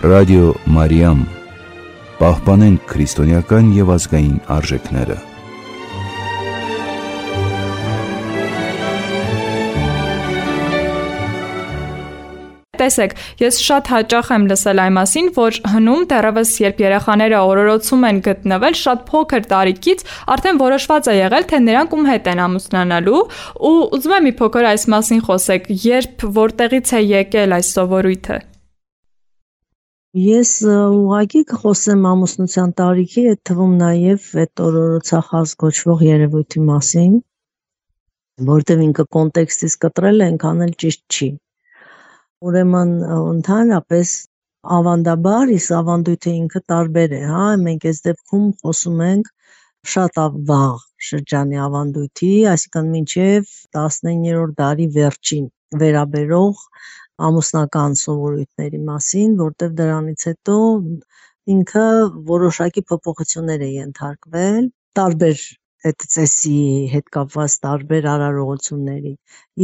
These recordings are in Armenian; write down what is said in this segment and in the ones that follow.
Ռադիո Մարիամ, պահպանենք քրիստոնեական և ազգային արժեքները։ Տեսեք, ես շատ հաճախ եմ լսել այն մասին, որ հնում դեռևս երբ երեխաները օրորոցում են գտնվել, շատ փոքր տարիքից արդեն որոշված է եղել, թե նրանք ում հետ են ամուսնանալու, ու ուզում եմ մի փոքր այս մասին խոսեք, երբ որտեղից է եկել այս սովորույթը։ Ես ուղղակի կխոսեմ ամուսնության տարիքի, այդ թվում նաև այդ օրորոցախազ կոչվող երևույթի մասին, որտեղ ինքը կոնտեքստից կտրել է, այնքան էլ ճիշտ չի։ Ուրեմն ընդհանրապես ավանդաբար, իսկ ավանդույթը ինքը տարբեր է, հա, մենք այս դեպքում խոսում ենք շատ վաղ շրջանի ավանդույթի, այսինքն մինչև 19-րդ դարի վերջին վերաբերող ամուսնական սովորույթների մասին, որտեղ դրանից հետո ինքը որոշակի փոփոխություններ է ենթարկվել, տարբեր այդ ծեսի հետ կապված տարբեր արարողությունների,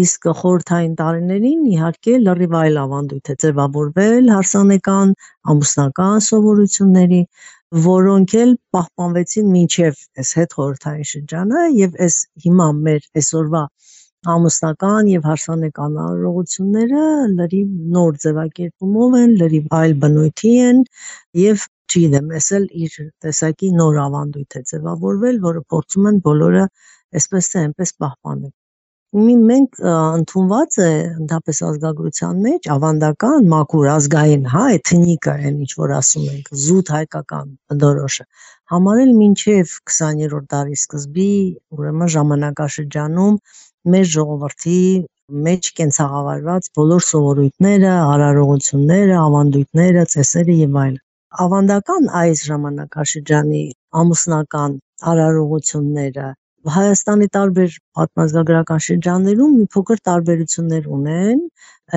իսկ խորհրդային տարիներին իհարկե լրիվ այլ ավանդույթ է ձևավորվել հարսանեկան ամուսնական սովորությունների, որոնք էլ պահպանվեցին մինչև այս հետխորհրդային շրջանը եւ այս հիմա մեր այսօրվա ամուսնական եւ հարսանեկան արարողությունները լրիվ նոր ձևակերպումով են, լրիվ այլ բնույթի են եւ չգիտեմ, ես էլ իր տեսակի նոր ավանդույթ է ձևավորվել, որը փորձում են բոլորը այսպես թե այնպես պահպանել։ Մենք ընդունված է ընդհանրապես ազգագրության մեջ ավանդական, մաքուր, ազգային, հա, էթնիկա են, ինչ որ ասում ենք, զուտ հայկական բնորոշը համարել մինչև 20-րդ դարի սկզբի, ուրեմն ժամանակաշրջանում մեր ժողովրդի մեջ կենցաղավարված բոլոր սովորույթները, արարողությունները, ավանդույթները, ծեսերը եւ այլն։ Ավանդական այս ժամանակաշրջանի ամուսնական արարողությունները Հայաստանի տարբեր պատմազգագրական շրջաններում մի փոքր տարբերություններ ունեն,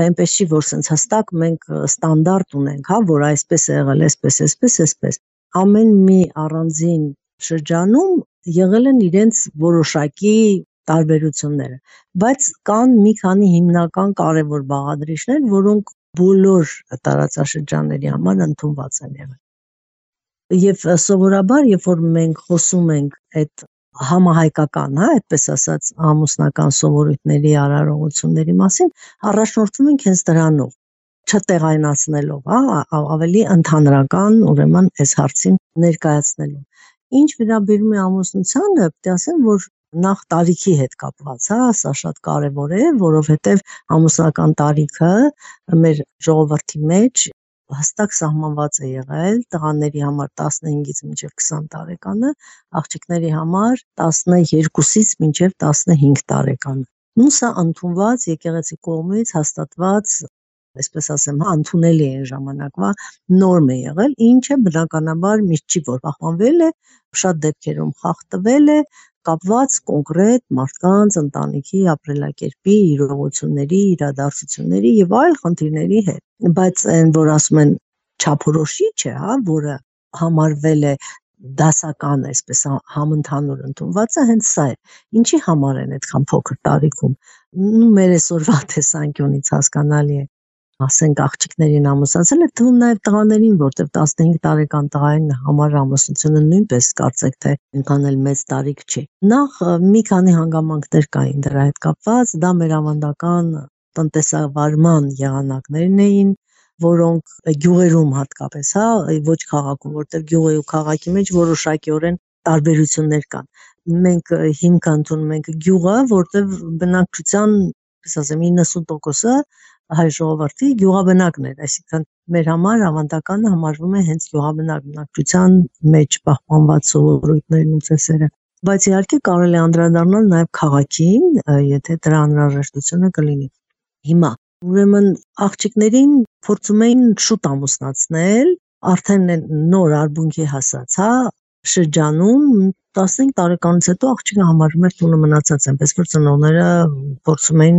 այնպես չի, որ sense հստակ մենք ստանդարտ ունենք, հա, որ այսպես է եղել, այսպես։ Ամեն մի առանձին շրջանում եղել են իրենց որոշակի տարբերությունները, բայց կան մի քանի հիմնական կարևոր բաղադրիչներ, որոնք բոլոր տարածաշրջանների համար ընդունված են եղել։ Եվ սովորաբար, երբ որ մենք խոսում ենք այդ համահայկական, հա, այդպես ասած, ամուսնական սովորույթների արարողությունների մասին, առաջնորդվում ենք հենց դրանով, չտեղայնացնելով, հա, ավելի ընդհանրական, ուրեմն այս հարցին ներկայացնելով։ Ինչ վերաբերում է ամուսնությանը, պետք է ասեմ, որ նախ տարիքի հետ կապված, հա, սա շատ կարևոր է, որովհետև ամուսնական տարիքը մեր ժողովրդի մեջ հստակ սահմանված է եղել, տղաների համար 15-ից մինչև 20 տարեկանը, աղջիկների համար 12-ից մինչև 15 տարեկանը։ Ու սա ընդունված եկեղեցի կողմից հաստատված, այսպես ասեմ, ընդունելի է ժամանակվա նորմ է եղել, ինչը բնականաբար միշտ չի որ պահպանվել է, շատ դեպքերում խախտվել է, կապված կոնկրետ մարդկանց ընտանիքի ապրելակերպի, իրողությունների, իրադարձությունների եւ այլ խնդիրների հետ։ Բայց այն, որ ասում են չափորոշիչ է, հա, որը համարվել է դասական, այսպես համընդհանուր ընդունված է, հենց սա է։ Ինչի համար են այդքան փոքր տարիքում։ Մեր այսօրվա տեսանկյունից հասկանալի է, ասենք աղջիկներին ամուսնացել է, թվում նաև տղաներին, որտեղ 15 տարեկան տղային համար ամուսնությունը նույնպես կարծեք թե այնքան էլ մեծ տարիք չի։ Նախ մի քանի հանգամանքներ կային դրա հետ կապված, դա մեր ավանդական տնտեսավարման եղանակներն էին, որոնք գյուղերում հատկապես, հա, ոչ քաղաքում, որտեղ գյուղի ու քաղաքի մեջ որոշակիորեն տարբերություններ կան։ Մենք հիմք ընդունում ենք գյուղը, որտեղ բնակչության, ասեմ, 90%-ը հայ ժողովրդի գյուղաբնակն էր, այսինքն մեր համար ավանդականը համարվում է հենց գյուղաբնակ բնակչության մեջ պահպանված սովորույթներն ու ծեսերը։ Բայց իհարկե կարելի է անդրադառնալ նաև քաղաքին, եթե դրա անհրաժեշտությունը կլինի։ Հիմա ուրեմն աղջիկներին փորձում էին շուտ ամուսնացնել, արդեն նոր արբունքի հասած, հա, շրջանում 15 տարեկանից հետո աղջիկը համարվում էր տունը մնացած, այնպես որ ծնողները փորձում էին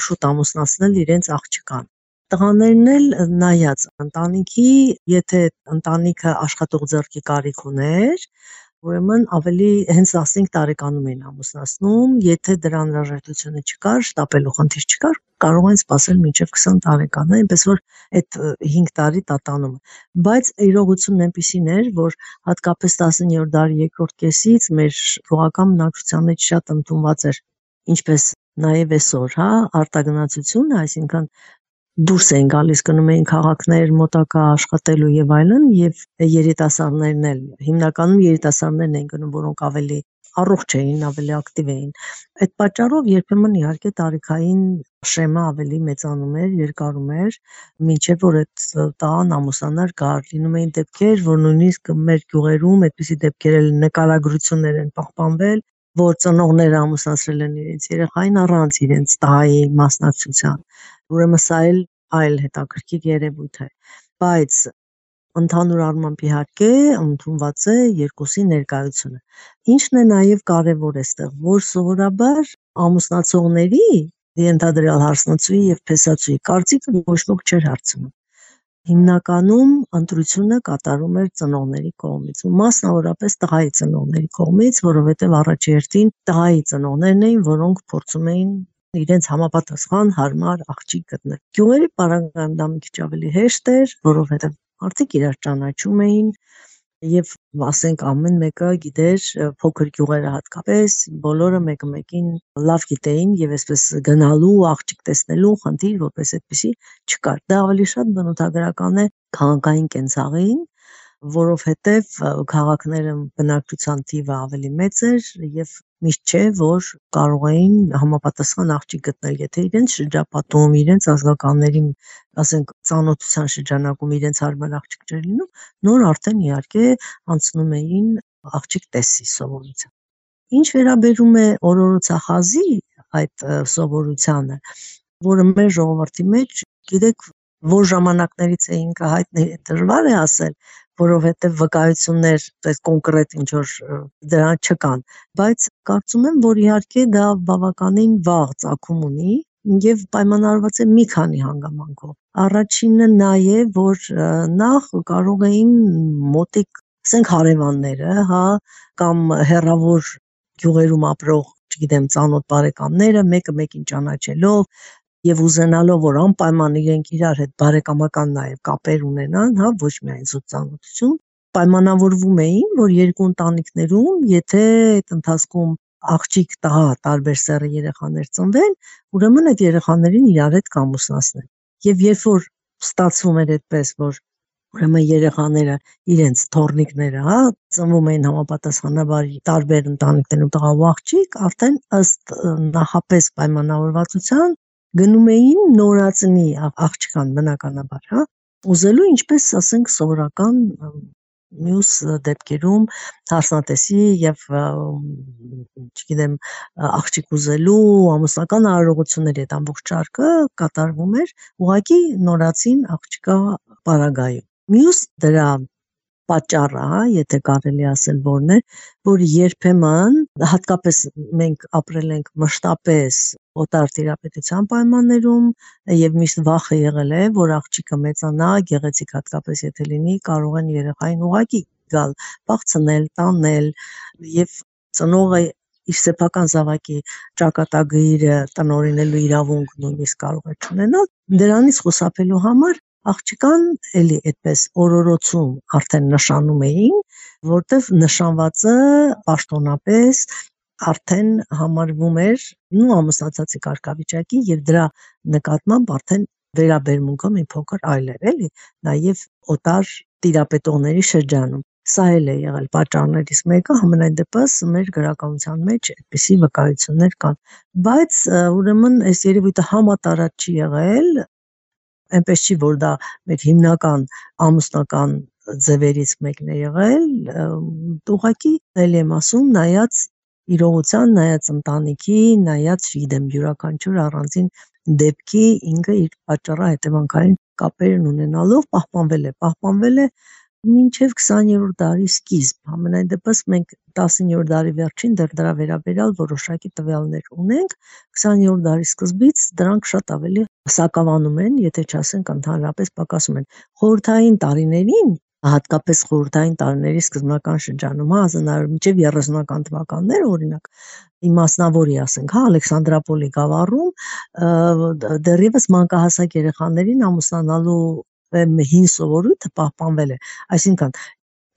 շուտ ամուսնացնել իրենց աղջկան։ Տղաներն էլ նայած ընտանիքի, եթե ընտանիքը աշխատող ձեռքի կարիք ուներ, Ուրեմն ավելի հենց 15 տարեկանում էին ամուսնացնում, եթե դրա անհրաժեշտությունը չկար, շտապելու խնդիր չկար, կարող են սպասել մինչև 20 տարեկան, այնպես որ այդ 5 տարի տատանումը։ Բայց իրողությունն այնպիսին էր, որ հատկապես 19-րդ դարի երկրորդ կեսից մեր գյուղական բնակչության մեջ շատ ընդունված էր, ինչպես նաև այսօր, արտագնացությունը, այսինքն դուրս էին գալիս, գնում էին քաղաքներ մոտակա աշխատելու եւ այլն, եւ երիտասարդներն էլ, հիմնականում երիտասարդներն էին գնում, որոնք ավելի առողջ էին, ավելի ակտիվ էին։ Այդ պատճառով երբեմն իհարկե տարիքային շեմը ավելի մեծանում էր, երկարում էր, մինչև որ այդ տղան ամուսնանար գար։ Լինում էին դեպքեր, որ նույնիսկ մեր գյուղերում այդպիսի դեպքեր էլ նկարագրություններ են պահպանվել, որ ծնողները ամուսնացրել են իրենց երեխային առանց իրենց տղայի մասնակցության։ Ուրեմն սա այլ հետաքրքիր երևույթ է, բայց ընդհանուր առմամբ իհարկե ընդունված է երկուսի ներկայությունը։ Ինչն է նաև կարևոր այստեղ, որ սովորաբար ամուսնացողների ենթադրյալ հարսնացուի եւ փեսացուի կարծիքը ոչ ոք չէր հարցնում։ Հիմնականում ընտրությունը կատարում էր ծնողների կողմից, մասնավորապես տղայի ծնողների կողմից, որովհետև առաջերտին տղայի ծնողներն էին, որոնք փորձում էին իրենց համապատասխան հարմար աղջիկ գտնել։ Գյուղերի պարագայում դա մի քիչ ավելի հեշտ էր, որովհետև մարդիկ իրար ճանաչում էին եւ ասենք ամեն մեկը գիտեր, փոքր գյուղերը հատկապես բոլորը մեկը մեկին լավ գիտեին եւ այսպես գնալու աղջիկ տեսնելու խնդիր որպես այդպեսի չկար։ Դա ավելի շատ բնութագրական է քաղաքային կենցաղին, որովհետև քաղաքները բնակչության թիվը ավելի մեծ էր եւ միշտ չէ, որ կարող էին համապատասխան աղջիկ գտնել, եթե իրենց շրջապատում, իրենց ազգականների, ասենք, ծանոթության շրջանակում իրենց հարմար աղջիկ չէր լինում, նոր արդեն իհարկե անցնում էին աղջիկ տեսի սովորության։ Ինչ վերաբերում է օրորոցախազի այդ սովորությանը, որը մեր ժողովրդի մեջ, գիտեք, որ ժամանակներից է ինքը հայտնի դժվար է ասել, որովհետև վկայություններ այս կոնկրետ ինչ որ դրան չկան, բայց կարծում եմ, որ իհարկե դա բավականին վաղ ծագում ունի եւ պայմանավորված է մի քանի հանգամանքով։ Առաջինը նա է, որ նախ կարող էին մոտիկ, ասենք հարևանները, կամ հեռավոր գյուղերում ապրող, չգիտեմ, ծանոթ բարեկամները, մեկը մեկին ճանաչելով եւ ուզենալով, որ անպայման իրենք իրար հետ բարեկամական նաեւ կապեր ունենան, ոչ միայն զուտ ծանոթություն, պայմանավորվում էին, որ երկու ընտանիքներում, եթե այդ ընթացքում աղջիկ տղա տարբեր սեռի երեխաներ ծնվեն, ուրեմն այդ երեխաներին իրար հետ կամուսնացնեն։ Եվ երբ որ ստացվում էր այդպես, որ ուրեմն երեխաները իրենց թոռնիկները, ծնվում էին համապատասխանաբար տարբեր ընտանիքներում տղա ու աղջիկ, արդեն ըստ նախապես պայմանավորվածության գնում էին նորածնի աղջկան բնականաբար, ուզելու ինչպես ասենք սովորական մյուս դեպքերում հարսնատեսի եւ չգիտեմ աղջիկ ուզելու ամուսնական արարողությունների այդ ամբողջ շարքը կատարվում էր ուղղակի նորածին աղջկա պարագայում։ Մյուս դրա պատճառը, եթե կարելի ասել որն է, որ երբեմն հատկապես մենք ապրել ենք մշտապես օտար տիրապետության պայմաններում եւ միշտ վախը եղել է, որ աղջիկը մեծանա, գեղեցիկ հատկապես եթե լինի, կարող են երեխային ուղղակի գալ, բախցնել, տանել եւ ծնողը իր սեփական զավակի ճակատագիրը տնօրինելու իրավունք նույնիսկ կարող է չունենալ։ Դրանից խուսափելու համար աղջկան էլի այդպես օրորոցում արդեն նշանում էին, որտեվ նշանվածը պաշտոնապես արդեն համարվում էր ամուսնացածի կարգավիճակի եւ դրա նկատմամբ արդեն վերաբերմունքը մի փոքր այլ էր, էլի, նաեւ օտար տիրապետողների շրջանում։ Սա էլ է եղել պատճառներից մեկը, համենայն դեպս մեր գրականության մեջ այդպիսի վկայություններ կան, բայց ուրեմն այս երևույթը համատարած չի եղել, այնպես չի, որ դա մեր հիմնական ամուսնական ձևերից մեկն է եղել, ուղղակի ելի եմ ասում, նայած իրողության, նայած ընտանիքի, նայած, չգիտեմ, յուրաքանչյուր առանձին դեպքի ինքը իր պատճառահետևանքային կապերն ունենալով պահպանվել է մինչև 20-րդ դարի սկիզբ, համենայն դեպս մենք 19-րդ դարի վերջին դեռ դրա վերաբերյալ որոշակի տվյալներ ունենք, 20-րդ դարի սկզբից դրանք շատ ավելի սակավանում են, եթե չասենք ընդհանրապես պակասում են։ Խորհրդային տարիներին հատկապես խորհրդային տարիների սկզբնական շրջանում, ազնարար մինչև 30-ական թվականներ, օրինակ, իմասնավորի ասենք, Ալեքսանդրապոլի գավառում դեռևս մանկահասակ երեխաներին ամուսնանալու հին սովորույթը պահպանվել է, այսինքն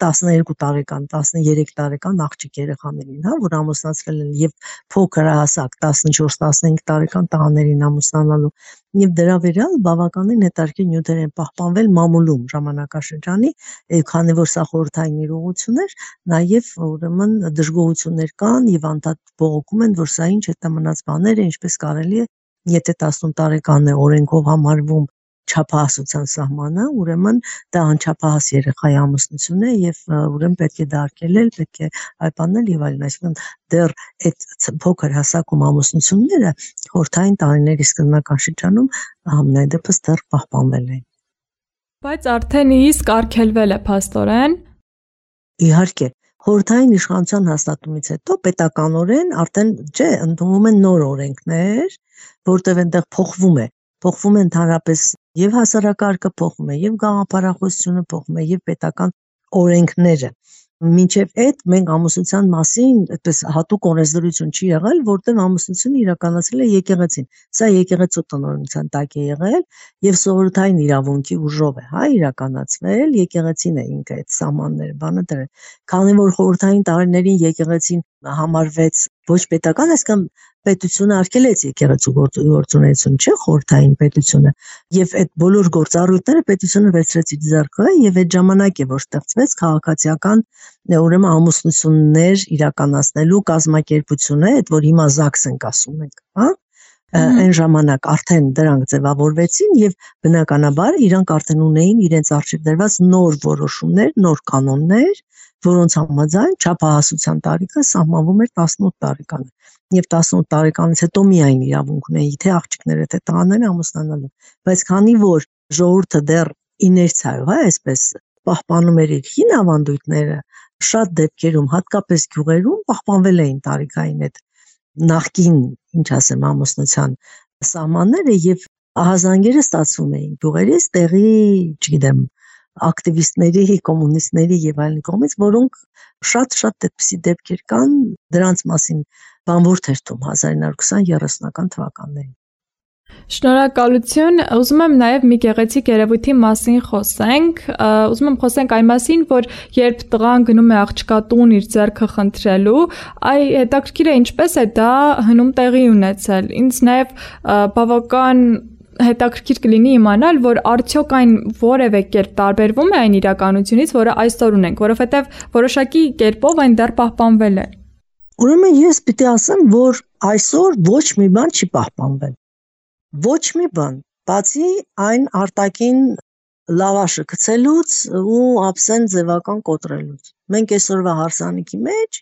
12 տարեկան, 13 տարեկան աղջիկ երեխաներին, որ ամուսնացվել են եւ փոքրահասակ 14-15 տարեկան տղաներին ամուսնանալու եւ դրա վերալ բավականին հետաքրքիր նյութեր են պահպանվել մամուլում ժամանակաշրջանի, քանի որ սա խորհրդային իրողություն էր, նաեւ ուրեմն դժգոհություններ կան եւ անդադ բողոքում են, որ սա ինչ հետամնաց բաներ է, ինչպես կարելի է, եթե 18 տարեկան է օրենքով համարվում չափահասության սահմանը, ուրեմն դա անչափահաս երեխայի ամուսնություն է եւ ուրեմն պետք է դա արգելել, պետք է այբանել եւ այլն, այսինքն դեռ այդ փոքր հասակում ամուսնությունները խորհրդային տարիների սկզբնական շրջանում համենայն դեպս դեռ պահպանվել են։ Բայց արդեն իսկ արգելվել է փաստորեն։ Իհարկե, խորհրդային իշխանության հաստատումից հետո պետականորեն արդեն ընդունվում են նոր օրենքներ, որտեղ այնտեղ փոխվում է ընդհանրապես եւ հասարակարգը փոխվում է, եւ գաղափարախոսությունը փոխվում է, եւ պետական օրենքները։ Մինչև այդ մենք ամուսնության մասին այդպես հատուկ օրենսդրություն չի եղել, որտեղ ամուսնությունը իրականացել է եկեղեցին։ Սա եկեղեցու տնօրինության տակ է եղել եւ սովորութային իրավունքի ուժով է, իրականացվել, եկեղեցին է ինքը այդ սահմանները բանը դրել։ Քանի որ խորհրդային տարիներին եկեղեցին համարվեց ոչ պետական, այսինքն պետությունը արգելեց եկեղեցու գործունեություն, չէ՞, խորհրդային պետությունը, եւ այդ բոլոր գործառույթները պետությունը վերցրեց իր ձեռքը եւ այդ ժամանակ է որ ստեղծվեց քաղաքացիական ուրեմն ամուսնություններ իրականացնելու կազմակերպությունը, այդ որ հիմա ԶԱԳՍ ենք ասում ենք, այն ժամանակ արդեն դրանք ձևավորվեցին եւ բնականաբար իրանք արդեն ունեին իրենց արժեք դրված նոր որոշումներ, նոր կանոններ, որոնց համաձայն չափահասության տարիքը սահմանվում էր 18 տարեկան եւ 18 տարեկանից հետո միայն իրավունք ունեին թե աղջիկները թե տղաները ամուսնանալու, բայց քանի որ ժողովուրդը դեռ իներցիայով, այսպես պահպանում էր իր հին ավանդույթները, շատ դեպքերում, հատկապես գյուղերում պահպանվել էին տարիքային այդ նախկին, ինչ ասեմ, ամուսնության սահմանները եւ ահազանգերը ստացվում էին գյուղերից տեղի, չգիտեմ, ակտիվիստների, կոմունիստների եւ այլն կողմից, որոնք շատ այդպիսի դեպքեր կան, դրանց մասին բանվոր թերթում 1920-30-ական թվականներին։ Շնորհակալություն, ուզում եմ նաև մի գեղեցիկ երևույթի մասին խոսենք, ուզում եմ խոսենք այն մասին, որ երբ տղան գնում է աղջկա տուն իր ձեռքը խնդրելու, հետաքրքիր է ինչպես է դա հնում տեղի ունեցել։ Ինձ նաև բավական հետաքրքիր կլինի իմանալ, որ արդյոք այն որևէ կերպ տարբերվում է այն իրականությունից, որը այսօր ունենք, որովհետև որոշակի կերպով այն դեռ պահպանվել է։ Ուրեմն ես պիտի ասեմ, որ այսօր ոչ մի բան չի պահպանվել։ Ոչ մի բան, բացի այն արտաքին լավաշը գցելուց ու ափսեն ձևական կոտրելուց։ Մենք այսօրվա հարսանիքի մեջ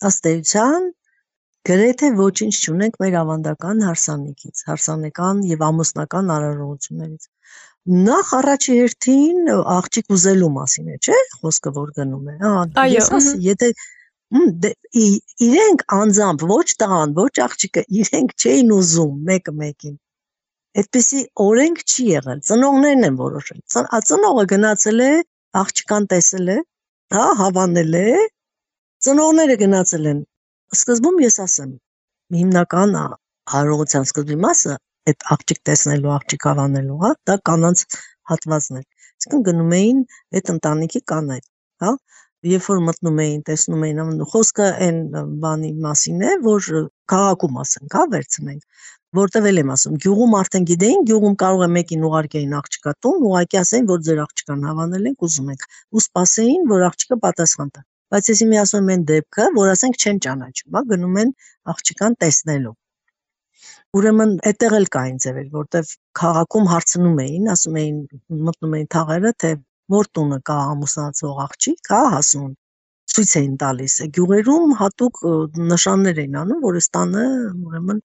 ըստ էության գրեթե ոչինչ չունենք մեր ավանդական հարսանիքից, հարսանեկան եւ ամուսնական արարողություններից։ Նախ առաջի հերթին աղջիկ ուզելու մասին է, չէ՞, խոսքը որ գնում է։ Ես ասեմ, եթե իրենք անձամբ ոչ տղան, ոչ աղջիկը իրենք չէին ուզում մեկը մեկին։ Այդպիսի օրենք չի եղել, ծնողներն են որոշել։ Ծնողը գնացել է, աղջկան տեսել է, հավանել է, ծնողները գնացել են։ Սկզբում ես ասեմ, հիմնական արարողության սկզբի մասը այդ աղջիկ տեսնելու, աղջիկ հավանելու, դա կանանց հատվածն էր։ Իսկն գնում էին այդ ընտանիքի կանայք, Երբ որ մտնում էին, տեսնում էին, խոսքը այն բանի մասին է, որ քաղաքում ասենք, վերցնենք, որտեղ էլ եմ ասում, գյուղում արդեն գիտեին, գյուղում կարող է մեկին ուղարկեին աղջկա տուն, ուղղակի ասեին, որ ձեր աղջկան հավանել ենք, ուզում ենք, ու սպասեին, որ աղջիկը պատասխան տա։ Բայց ես հիմա ասում եմ այն դեպքը, որ ասենք չեն ճանաչում, գնում են աղջկան տեսնելու։ Ուրեմն այդտեղ էլ կային ձևեր, որտեղ քաղաքում հարցնում էին, ասում էին, մտնում էին թաղերը, թե որ տունը կա ամուսնացող աղջիկ, հասուն, ցույց էին տալիս։ Գյուղերում հատուկ նշաններ էին անում, որ ստանը ուրեմն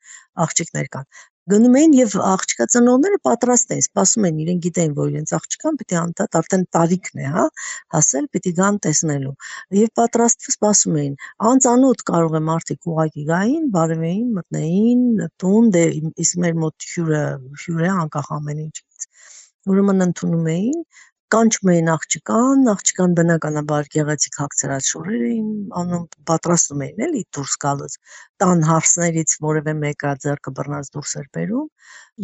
աղջիկներ կան։ Գնում էին եւ աղջկա ծնողները պատրաստ էին, սպասում էին, իրենք գիտեին, որ իրենց աղջկան պիտի անդադ արդեն տարիքն է, հասել, պիտի գան տեսնելու։ Եվ պատրաստ սպասում էին։ Անծանոթ կարող է մարդիկ ուղակի գային, բարևեին, մտնեին տուն, դե իսկ մեր մոտ հյուր է անկախ ամեն ինչից։ Ուրեմն ընդունում էին կանչում էին աղջկան բնականաբար գեղեցիկ հագցրած շորեր էին անում, պատրաստում էին էլի դուրս գալուց, տան հարսներից որևէ մեկը ձեռքը բռնած դուրս էր բերում,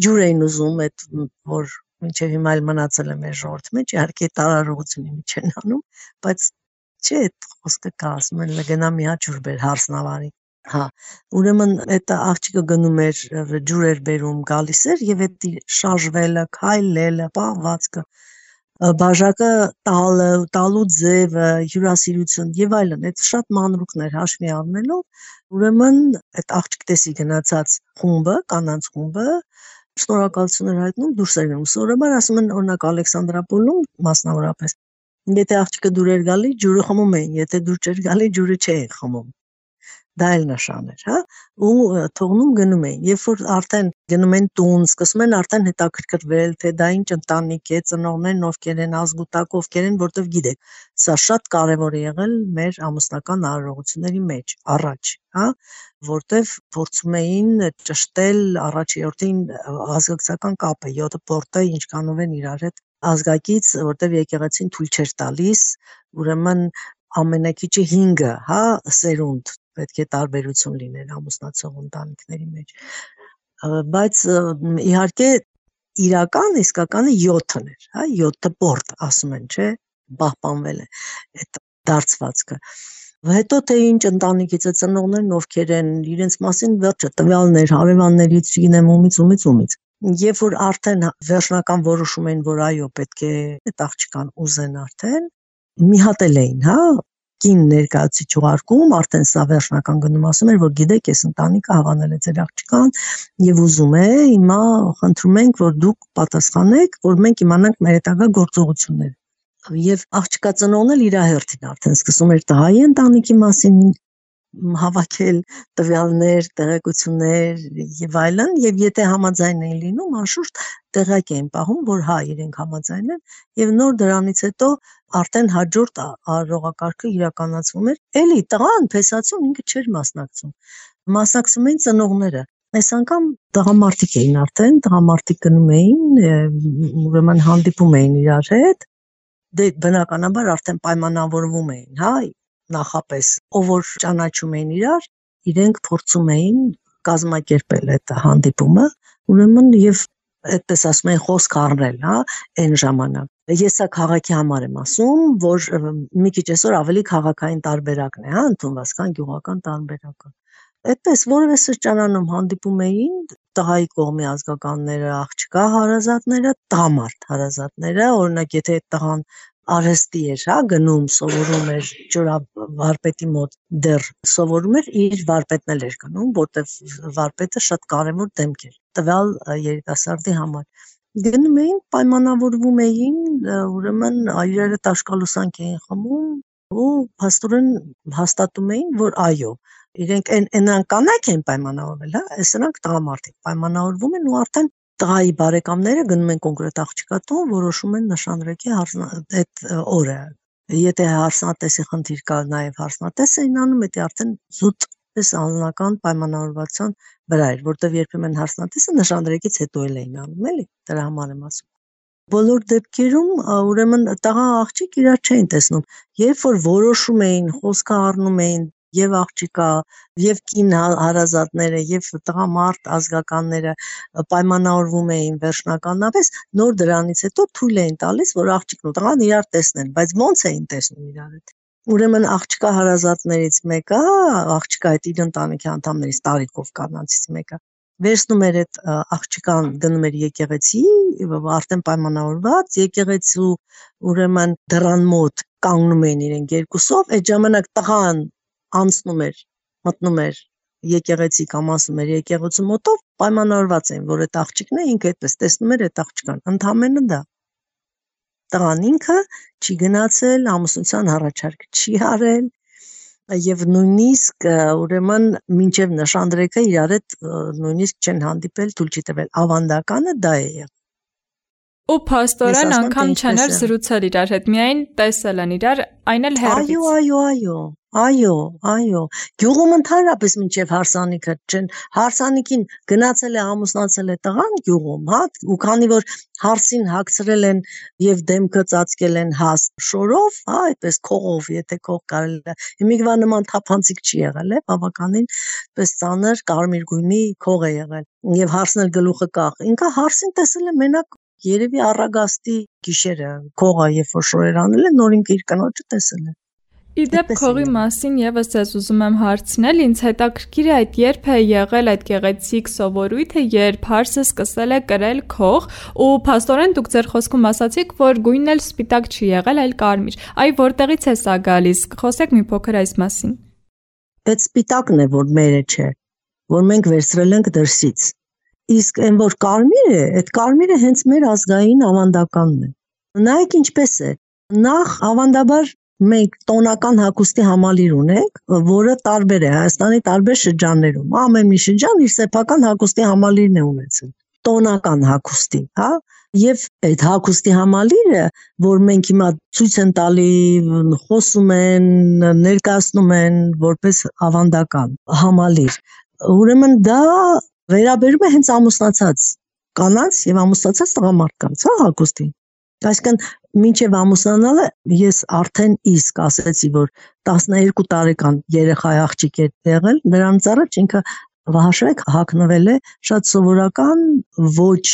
ջուր էին ուզում, այդ որ մինչև հիմա էլ մնացել է մեր ժողովրդի մեջ, իհարկե տարարողությունի մեջ են անում, բայց չէ, այդ խոսքը կա, ասում են գնա մի հատ ջուր բեր հարսնավարի։ Հա, ուրեմն այդ աղջիկը գնում էր ջուր էր բերում, գալիս էր եւ այդ շարժվելը, քայլելը, պահվածքը, բաժակը տալու ձևը, հյուրասիրություն եւ այլն, այդ շատ մանրուքներ հաշվի առնելով, ուրեմն այդ աղջիկ տեսի գնացած խումբը, կանանց խումբը շնորհակալություն էր հայտնում, դուրս էր գնում։ Սովորաբար ասում են օրինակ Ալեքսանդրապոլում մասնավորապես, եթե աղջիկը դուր էր գալի, ջուրը խմում էին, եթե դուր չէր գալի, ջուրը չէին խմում։ Դա էլ նշան էր, հա, ու թողնում գնում էին, երբ որ արդեն գնում են տուն, սկսում են արդեն հետաքրքրվել, թե դա ինչ ընտանիք է, ծնողներն ովքեր են, ազգուտակ ովքեր են, որտեվ գիտեք, սա շատ կարևոր է եղել մեր ամուսնական արարողությունների մեջ, առաջ, հա, որտեվ փորձում էին ճշտել առաջերտին ազգակցական կապը, 7 պորտը ինչքանով են իրար հետ ազգակից, որտեվ եկեղեցին թույլ չէր տալիս, ուրեմն ամենակիչը 5, հա, սերունդ պետք է տարբերություն լիներ ամուսնացող ընտանիքների մեջ, բայց իհարկե իրական իսկականը 7-ն էր, հա, 7 պորտ ասում են, չէ, պահպանվել է այդ դարձվածքը։ Հետո թե ինչ ընտանիքից է ծնողներն ովքեր են իրենց մասին վերջը տվյալներ հարևաններից, չգիտեմ ումից, երբ որ արդեն վերջնական որոշում են, որ այո, պետք է այդ աղջկան ուզեն արդեն, մի հատ էլ էին, հա, կին ներկայացուցիչ ուղարկում, արդեն սա վերջնական գնում ասում էր, որ գիտեք, այս ընտանիքը հավանել է ձեր աղջկան եւ ուզում է, հիմա խնդրում ենք, որ դուք պատասխանեք, որ մենք իմանանք մեր հետագա գործողությունները։ Եվ աղջկա ծնողն էլ իր հերթին արդեն սկսում էր տղայի ընտանիքի մասին հավաքել տվյալներ, տեղեկություններ եւ այլն, եւ եթե համաձայն էին լինում, անշուշտ տեղակ էին պահում, որ հա, իրենք համաձայն են, եւ նոր դրանից հետո արդեն հաջորդ արարողակարգը իրականացվում էր։ Էլի տղան փեսացում ինքը չէր մասնակցում։ Մասնակցում էին ծնողները։ Այս անգամ տղամարդիկ էին արդեն, տղամարդիկ գնում էին, ուրեմն հանդիպում էին իրար հետ, դե բնականաբար արդեն պայմանավորվում էին, հա, նախապես, ով որ ճանաչում էին իրար, իրենք փորձում էին կազմակերպել այդ հանդիպումը, ուրեմն եւ այդպես ասում են խոսք առնել, հա, այն ժամանակ։ Ես սա քաղաքի համար եմ ասում, որ մի քիչ այսօր ավելի քաղաքային տարբերակն է, հա, ընդունված, քան գյուղական տարբերակը։ Այդպես որևէ սրճարանում հանդիպում էին տղայի կողմի ազգականները, աղջկա հարազատները, տղամարդ հարազատները, օրինակ եթե տղան արհեստի էր, հա, գնում, սովորում էր ջրավարպետի մոտ, դեռ սովորում էր, իր վարպետն էլ էր գնում, որտեվ վարպետը շատ կարևոր դեմք էր տվյալ երիտասարդի համար։ Գնում էին, պայմանավորվում էին, ուրեմն իրար հետ աշկալուսանք էին խմում ու փաստորեն հաստատում էին, որ այո, իրենք այնան կանայք են պայմանավորվել, հա, սրանք տղամարդիկ պայմանավորվում են ու արդեն տղայի բարեկամները գնում են կոնկրետ աղջկա տուն, որոշում են նշանրեկի այդ օրը։ Եթե հարսնատեսի խնդիր կա, նաև հարսնատես էին անում, դա արդեն զուտ պես անձնական պայմանավորվածության վրա էր, որտեղ երբեմն հարսնատեսը նշանրեկից հետո էլ էին անում, էլի, դրա համար եմ ասում։ Բոլոր դեպքերում ուրեմն տղա աղջիկ իրար չէին տեսնում, երբ որ որոշում էին, խոսքը առնում էին եւ աղջիկա, եւ կին հարազատները, եւ տղամարդ ազգականները պայմանավորվում էին վերջնականապես, նոր դրանից հետո թույլ էին տալիս, որ աղջիկն ու տղան իրար տեսնեն, բայց ոնց էին տեսնում իրար հետ։ Ուրեմն աղջկա հարազատներից մեկը, աղջկա այդ իր ընտանիքի անդամներից տարիքով կանանցից մեկը, վերցնում էր այդ աղջկան, գնում էր եկեղեցի, արդեն պայմանավորված, եկեղեցու ուրեմն դռան մոտ կանգնում էին իրենք երկուսով, այդ ժամանակ տղան անցնում էր, մտնում էր եկեղեցի կամ անցնում էր եկեղեցու մոտով, պայմանավորված էին, որ այդ աղջիկն է, ինքը այդպես տեսնում էր այդ աղջկան, ընդամենը դա։ Տղան ինքը չի գնացել, ամուսնության առաջարկ չի արել եւ նույնիսկ ուրեմն մինչեւ նշանրեկը իրար հետ նույնիսկ չեն հանդիպել, թույլ չի տվել, ավանդականը դա է եղել։ Ու փաստորեն անգամ չեն զրուցել իրար հետ, միայն տեսել են իրար, այն էլ հեռվից։ Այո։ Գյուղում ընդհանրապես մինչև հարսանիքը չեն, հարսանիքին գնացել է, ամուսնացել է տղան գյուղում, հա, ու քանի որ հարսին հագցրել են եւ դեմքը ծածկել են հաս շորով, հա, այդպես քողով, եթե քող կարելի է։ Հիմիկվա նման թափանցիկ չի եղել, բավականին պես ծանր կարմիր գույնի քող է եղել։ Եվ հարսն էլ գլուխը կախ։ Ինքը հարսին տեսել է մենակ երևի առագաստի գիշերը, քողը երբ որ շորեր անել են, նոր ինքը իր կնոջը տեսել է։ Իդեպ քողի մասին եւս ես ուզում եմ հարցնել, ինձ հետաքրքիր է այդ երբ է եղել այդ գեղեցիկ սովորույթը, երբ հարսը սկսել է կրել քող, ու փաստորեն դուք ձեր խոսքում ասացիք, որ գույնն էլ սպիտակ չի եղել, այլ կարմիր։ Այ որտեղից է սա գալիս։ Խոսեք մի փոքր այս մասին։ Այդ սպիտակն է, որ մերը չէ, որ մենք վերցրել ենք դրսից։ Իսկ այն որ կարմիր է, այդ կարմիրը հենց մեր ազգային ավանդականն է։ Նայեք ինչպես է։ Նախ ավանդաբար մենք տոնական հագուստի համալիր ունենք, որը տարբեր է Հայաստանի տարբեր շրջաններում։ Ամեն մի շրջան իր սեփական հագուստի համալիրն է ունեցել։ Տոնական հագուստի, հա, եւ այդ հագուստի համալիրը, որ մենք հիմա ցույց են տալի, խոսում են, ներկայացնում են որպես ավանդական համալիր։ Ուրեմն դա վերաբերում է հենց ամուսնացած կանանց եւ ամուսնացած տղամարդկանց, հա, հագուստին։ Այսինքն մինչև ամուսնանալը ես արդեն իսկ ասեցի, որ 12 տարեկան երեխա աղջիկ է եղել, նրանից առաջ ինքը հաշվեք հագնվել է շատ սովորական, ոչ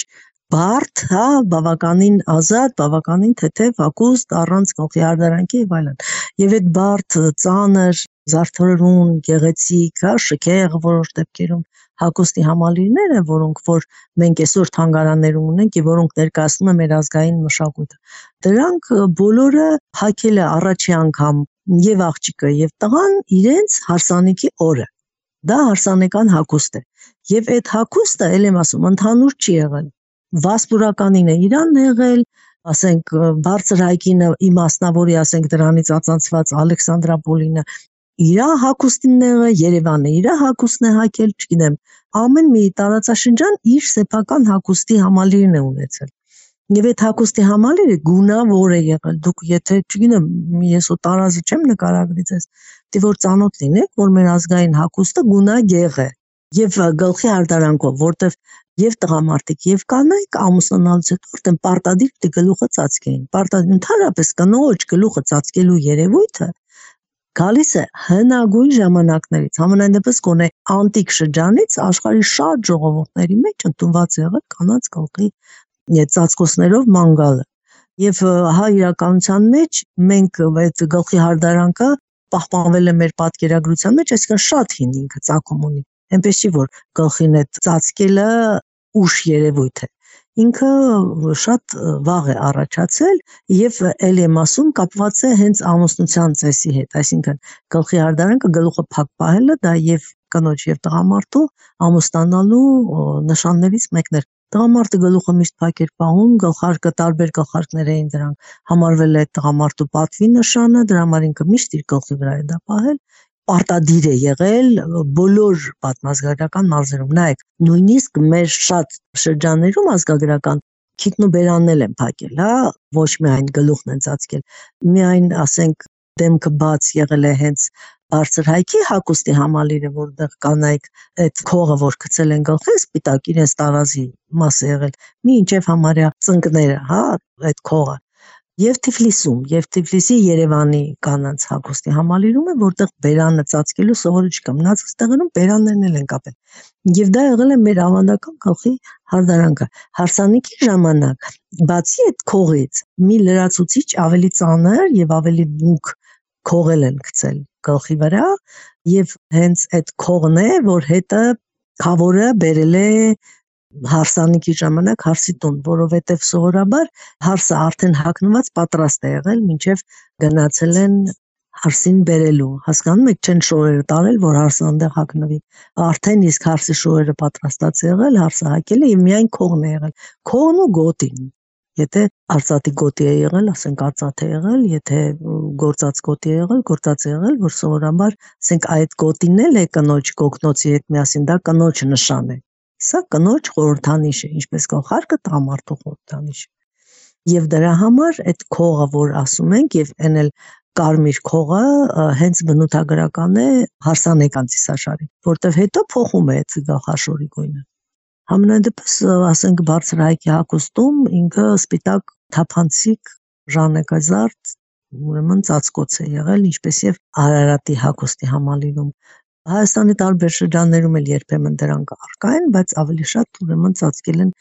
բարդ, հա, բավականին ազատ, բավականին թեթև հագուստ, առանց գլխի հարդարանքի եւ այլն։ Եվ այդ բարդ, ծանր, զարդարուն, գեղեցիկ, հա, շքեղ որոշ դեպքերում հագուստի համալիրները, որոնք որ մենք այսօր թանգարաններում ունենք եւ որոնք ներկայացնում են մեր ազգային մշակույթը, դրանք բոլորը հագել է առաջի անգամ եւ աղջիկը եւ տղան իրենց հարսանիքի օրը։ Դա հարսանեկան հագուստ է։ Եվ այդ հագուստը, ել եմ ասում, ընդհանուր չի եղել։ Վասպուրականին է Իրանն եղել, ասենք բարձր հայկինը իմաստնավորի, ասենք դրանից ածանցված Ալեքսանդրապոլինը իրա հագուստին է, Երևանը իրա հագուստն է հագել, չգիտեմ, ամեն մի տարածաշրջան իր սեփական հագուստի համալիրն է ունեցել։ Եվ այդ հագուստի համալիրը գունավոր է եղել, դուք եթե, չգիտեմ, ես ու տարազի չեմ նկարագրի ձեզ, դե որ ծանոթ լինեք, որ մեր ազգային հագուստը գունագեղ է, եւ գլխի հարդարանքով, որտեվ եւ տղամարդիկ եւ կանայք ամուսնանալուց հետո արդեն պարտադիր դե գլուխը ծածկեին։ Պարտադիր ընդհանրապես կնոջ գլուխը ծածկելու երևույթը գալիս է հնագույն ժամանակներից, համենայն դեպս գոնե անտիկ շրջանից աշխարհի շատ ժողովուրդների մեջ ընդունված եղել կանանց գլխի ծածկոցներով ման գալը։ Եվ հա իրականության մեջ մենք այդ գլխի հարդարանքը պահպանվել է մեր պատկերագրության մեջ, այսինքն շատ հին ինքը ծագում ունի։ Այնպես չի, որ գլխին այդ ծածկելը ուշ երևույթ է։ Ինքը շատ վաղ է առաջացել եւ ելի եմ ասում կապված է հենց ամուսնության ծեսի հետ, այսինքն գլխի հարդարանքը գլուխը փակ պահելը դա եւ կնոջ եւ տղամարդու ամուսնանալու նշաններից մեկն էր։ Տղամարդը գլուխը միշտ փակ էր պահում, գլխարկը տարբեր գլխարկներ էին դրանք համարվել է տղամարդու պատվի նշանը, դրա համար ինքը միշտ իր գլխի վրա է դա պահել։ Պարտադիր է եղել բոլոր պատմազգայական մարզերում։ Նայեք, նույնիսկ մեր շատ շրջաններում ազգագրական քիթնուբերանն են փակել, հա, ոչ միայն գլուխն են ծածկել, միայն ասենք դեմքը բաց եղել է հենց բարձր հայքի հագուստի համալիրը, որտեղ կանայք այդ քողը, որ գցել են գլխին, սպիտակ իրենց տարազի մաս է եղել, մինչև համարյա ծնկները, հա, այդ քողը։ Եվ Թիֆլիսում, եւ Թիֆլիսի Երևանի կանանց հագուստի համալիրում է, որտեղ բերանը ծածկելու սովորույթ կա, մնացած տեղերում բերաններն են կապել։ Եվ դա եղել է մեր ավանդական գլխի հարդարանքը։ Հարսանիքի ժամանակ, բացի այդ քողից, մի լրացուցիչ ավելի ծանր եւ ավելի դուք քողել են գցել գլխի վրա, եւ հենց այդ քողն է, որ հետը խավորը բերել է հարսանիքի ժամանակ հարսի տուն, որովհետև սովորաբար հարսը արդեն հագնված պատրաստ է եղել, մինչև գնացել են հարսին բերելու, հասկանում եք, չեն շորերը տարել, որ հարսը այնտեղ հագնվի, արդեն իսկ հարսի շորերը պատրաստած է եղել, հարսը հագել է եւ միայն քողն է եղել, քողն ու գոտին, եթե արծաթի գոտի է եղել, ասենք արծաթ է եղել, եթե գործած գոտի է եղել, որ սովորաբար ասենք այդ գոտին էլ է կնոջ կոկնոցի հետ միասին, դա կնոջ նշան է։ Սա կնոջ խորհրդանիշ է, ինչպես գլխարկը տղամարդու խորհրդանիշ է։ Եվ դրա համար այդ քողը, որ ասում ենք, եւ այն էլ կարմիր քողը հենց բնութագրական է հարսանեկան ծիսաշարի, որտեվ հետո փոխում է այդ գլխաշորի գույնը։ Համենայնդեպս, ասենք, բարձր հայքի հագուստում ինքը սպիտակ թափանցիկ ժանեկազարդ, ուրեմն ծածկոց է եղել, ինչպես եւ Արարատի հագուստի համալիրում։ Հայաստանի տարբեր շրջաններում էլ երբեմն դրանք առկա են, բայց ավելի շատ ուրեմն ծածկել են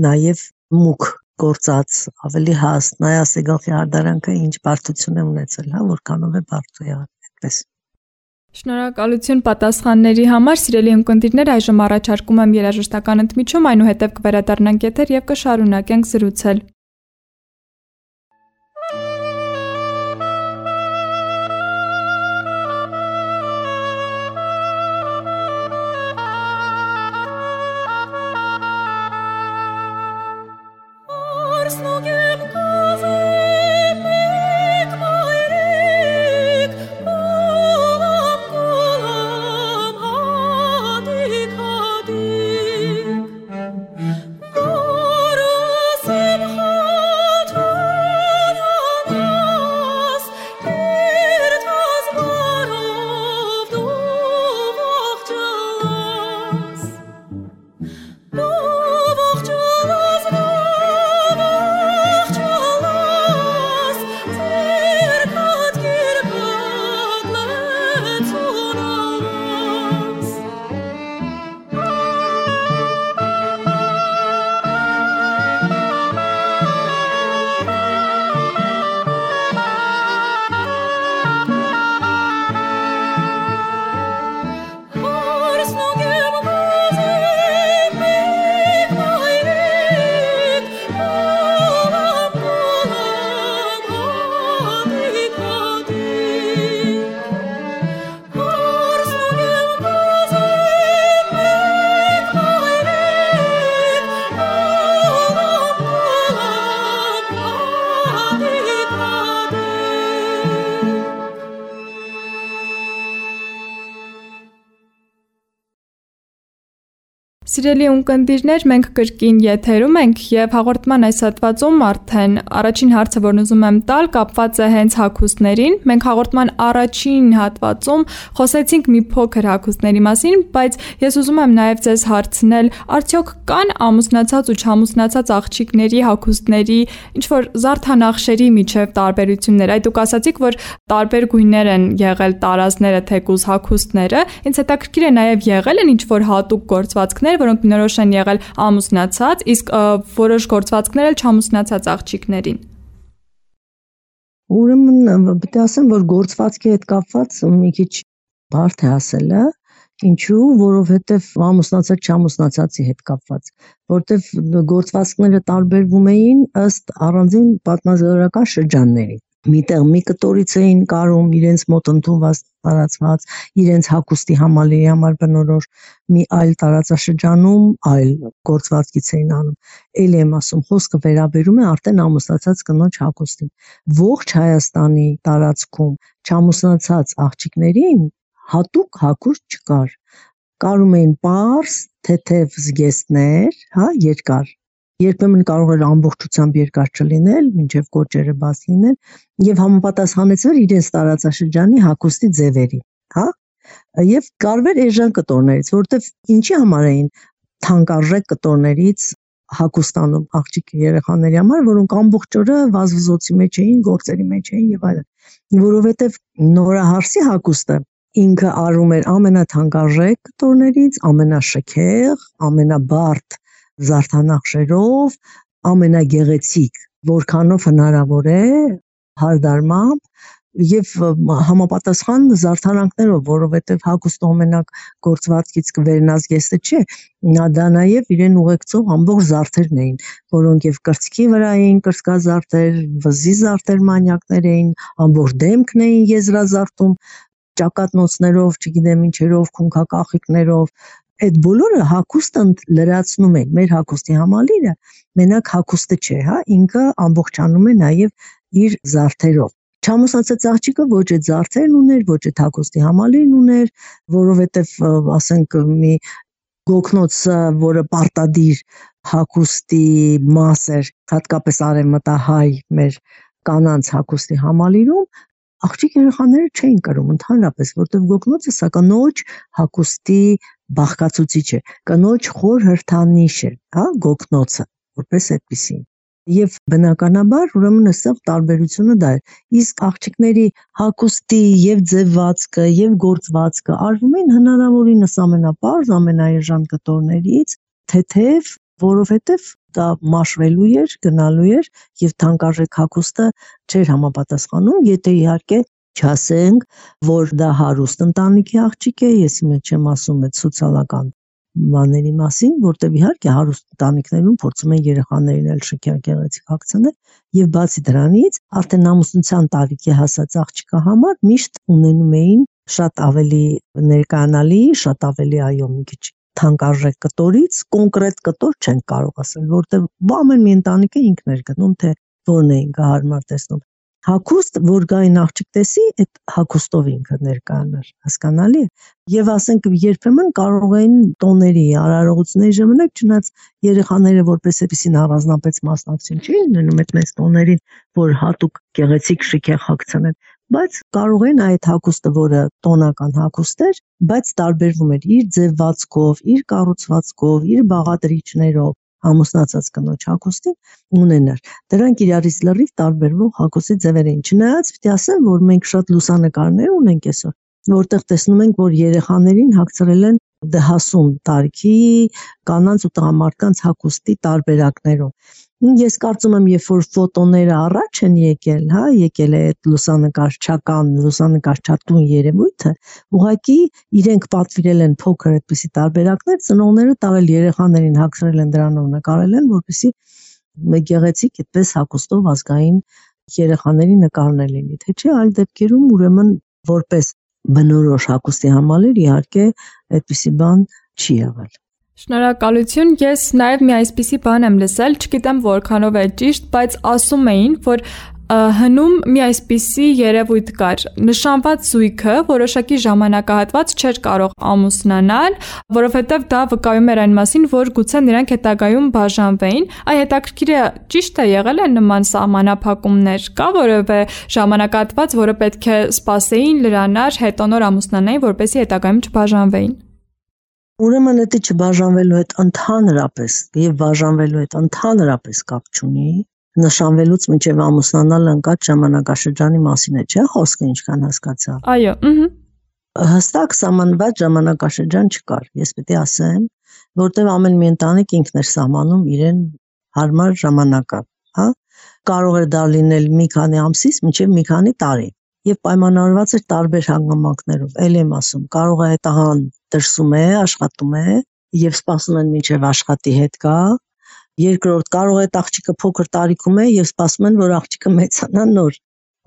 նաև մուգ գործած, ավելի հաստ, նայասի գլխի հարդարանքը ինչ բարդություն է ունեցել, որքանով է բարդ եղել, այդպես։ Շնորհակալություն պատասխանների համար, սիրելի ունկնդիրներ, այժմ առաջարկում եմ երաժշտական ընդմիջում, այնուհետև կվերադառնանք եթեր եւ կշարունակենք զրուցել։ Սիրելի ունկնդիրներ, մենք կրկին եթերում ենք եւ հաղորդման այս հատվածում արդեն առաջին հարցը, որն ուզում եմ տալ, կապված է հենց հագուստներին։ Մենք հաղորդման առաջին հատվածում խոսեցինք մի փոքր հագուստների մասին, բայց ես ուզում եմ նաեւ ձեզ հարցնել, արդյոք կան ամուսնացած ու չամուսնացած աղջիկների հագուստների ինչ որ զարդանախշերի միջև տարբերություններ։ Այդ դուք ասացիք, որ տարբեր գույներ են եղել տարազները, թեկուզ հագուստները։ Ինձ հետաքրքիր է նաեւ եղել են ինչ որ հատուկ գործվածքներ, որոնք բնորոշ են եղել ամուսնացած, իսկ որոշ գործվածքներ էլ չամուսնացած աղջիկներին։ Ուրեմն պետք է ասեմ, որ գործվածքի հետ կապված մի քիչ բարդ է ասելը, ինչու, որովհետև ամուսնացած չամուսնացածի հետ կապված, որովհետև գործվածքները տարբերվում էին ըստ առանձին պատմազգորական շրջանների։ Միտեղ մի կտորից էին կարում իրենց մոտ ընդունված տարածված, իրենց հագուստի համալիրի համար բնորոշ, մի այլ տարածաշրջանում այլ գործվածքից էին անում։ Էլի եմ ասում, խոսքը վերաբերում է արդեն ամուսնացած կնոջ հագուստին։ Ողջ Հայաստանի տարածքում չամուսնացած աղջիկներին հատուկ հագուստ չկար։ Կարում էին պարզ, թեթև զգեստներ, երկար։ Երբեմն կարող էր ամբողջությամբ երկար չլինել, մինչև կոճերը բաց լինել եւ համապատասխանեցվել իրենց տարածաշրջանի հագուստի ձևերի, եւ կարվեր էժան կտորներից, որովհետեւ ինչի համար էին թանկարժեք կտորներից հագուստանում աղջիկ երեխաների համար, որոնք ամբողջ օրը վազվզոցի մեջ էին, գործերի մեջ էին եւ այլն, որովհետեւ նորահարսի հագուստը ինքը արում էր ամենաթանկարժեք կտորներից, ամենաշքեղ, ամենաբարդ զարդանախշերով, ամենագեղեցիկ, որքանով հնարավոր է, հարդարմամբ եւ համապատասխան զարդարանքներով, որովհետեւ հագուստը մենակ գործվածքից կվերնազգեստը չէ, դա նաեւ իրեն ուղեկցող ամբողջ զարդերն էին, որոնք եւ կրծքի վրա էին կրծքազարդեր, վզի զարդեր մանյակներ էին, ամբողջ դեմքն էին եզրազարդում, ճակատնոցներով, չգիտեմ ինչերով, քունքակախիկներով, այդ բոլորը հագուստը լրացնում են, մեր հագուստի համալիրը մենակ հագուստը չէ, ինքը ամբողջանում է նաև իր զարդերով։ Չամուսնացած աղջիկը ոչ այդ զարդերն ուներ, ոչ այդ հագուստի համալիրն ուներ, որովհետև ասենք մի գոգնոցը, որը պարտադիր հագուստի մաս էր, հատկապես արևմտահայ մեր կանանց հագուստի համալիրում, աղջիկ երեխաները չէին կրում ընդհանրապես, որտեղ գոգնոցը սա կնոջ հագուստի բաղկացուցիչ է, կնոջ խոր հրթանիշ է, հա, գոգնոցը, որպես այդպիսին։ Եվ բնականաբար ուրեմն այստեղ տարբերությունը դա է, իսկ աղջիկների հագուստի եւ ձևվածքը եւ գործվածքը արվում են հնարավորինս ամենապարզ, ամենաէժան կտորներից, թեթև, որովհետեւ դա մաշվելու էր, գնալու էր եւ թանկարժեք հագուստը չէր համապատասխանում, եթե իհարկե չասենք, որ դա հարուստ ընտանիքի աղջիկ է, ես իմ չեմ ասում այդ սոցիալական բաների մասին, որտեղ իհարկե հարուստ ընտանիքներում փորձում են երեխաներին էլ շքեղ գեղեցիկ հագցնել եւ բացի դրանից արդեն ամուսնության տարիքի հասած աղջկա համար միշտ ունենում էին շատ ավելի ներկայանալի, շատ ավելի այո մի քիչ թանկարժեք կտորից կոնկրետ կտոր չեն կարող ասել, որտեղ ամեն մի ընտանիքը ինքն էր գտնում, թե որն էին հարմար տեսնում։ Հագուստ, որ գային աղջիկ տեսի, այդ հագուստով ինքը ներկայանար, հասկանալի է։ Եվ ասենք երբեմն կարող էին տոների, արարողությունների ժամանակ չնայած երեխաները որպես այդպեսին առանձնապես մասնակցություն չէին ունենում այդ մեծ տոներին, որ հատուկ գեղեցիկ շքեղ հագցնեն, բայց կարող են այդ հագուստը, որը տոնական հագուստ էր, բայց տարբերվում էր իր ձևվածքով, իր կառուցվածքով, իր բաղադրիչներով, ամուսնացած կնոջ հագուստին ունենար։ Դրանք իրարից լրիվ տարբերվող հագուստի ձևեր էին։ Չնայած պիտի ասեմ, որ մենք շատ լուսանկարներ ունենք այսօր, որտեղ տեսնում ենք, որ երեխաներին հագցրել են դհասուն տարիքի կանանց ու տղամարդկանց հագուստի տարբերակներով։ Ես կարծում եմ, երբ որ ֆոտոները առաջ են եկել, հա, եկել է այդ լուսանկարչական, լուսանկարչատուն երևույթը, ուղղակի իրենք պատվիրել են փոքր այդպիսի տարբերակներ, ծնողները տարել երեխաներին հագցրել են դրանով նկարել են, որպեսզի գեղեցիկ այդպես հագուստով ազգային երեխաների նկարներ լինի, թե չէ այլ դեպքերում ուրեմն որպես բնորոշ հագուստի համալիր իհարկե այդպիսի բան չի եղել։ Շնորհակալություն, ես նաև մի այսպիսի բան եմ լսել, չգիտեմ որքանով է ճիշտ, բայց ասում էին, որ հնում մի այսպիսի երևույթ կար, նշանված զույգը որոշակի ժամանակահատված չէր կարող ամուսնանալ, որովհետև դա վկայում էր այն մասին, որ գուցե նրանք հետագայում բաժանվեին, այ հետաքրքիր է, ճիշտ է եղել է նման սահմանափակումներ, կա որևէ ժամանակահատված, որը պետք է սպասեին, լրանար, հետո նոր ամուսնանային, որպեսզի հետագայում չբաժանվեին։ Ուրեմն դա չբաժանվելու հետ ընդհանրապես եւ բաժանվելու հետ ընդհանրապես կապ չունի, նշանվելուց մինչև ամուսնանալը ընկած ժամանակաշրջանի մասին է, չէ՞ խոսքը ինչքան հասկացա։ Այո, հստակ սահմանված ժամանակաշրջան չկար, ես պետք է ասեմ, որտեղ ամեն մի ընտանիք ինքն էր սահմանում իրեն հարմար ժամանակը, հա, կարող էր դա լինել մի քանի ամսից մինչև մի քանի տարի եւ պայմանավորված էր տարբեր հանգամանքներով, ել եմ ասում, կարող է տղան դրսում է, աշխատում է եւ սպասում են մինչև աշխատի հետ գա, երկրորդ կարող է աղջիկը փոքր տարիքում է եւ սպասում են, որ աղջիկը մեծանա նոր,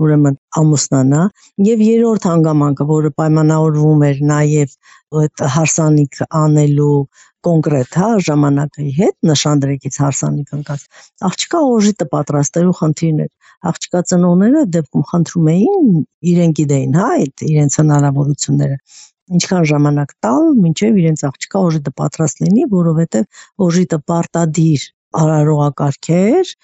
ուրեմն ամուսնանա, եւ երրորդ հանգամանքը, որը պայմանավորվում էր նաեւ այդ հարսանիք անելու կոնկրետ, հա, ժամանակի հետ նշանդրեկից հարսանիք ընկած, աղջիկա օժիտը պատրաստելու խնդիրն էր, աղջիկա ծնողները դեպքում խնդրում էին, իրենք գիտեին, հա, այդ իրենց հնարավորությունները, ինչքան ժամանակ տալ, մինչև իրենց աղջիկա օժիտը պատրաստ լինի, որովհետև օժիտը պարտադիր արարողակարգ էր,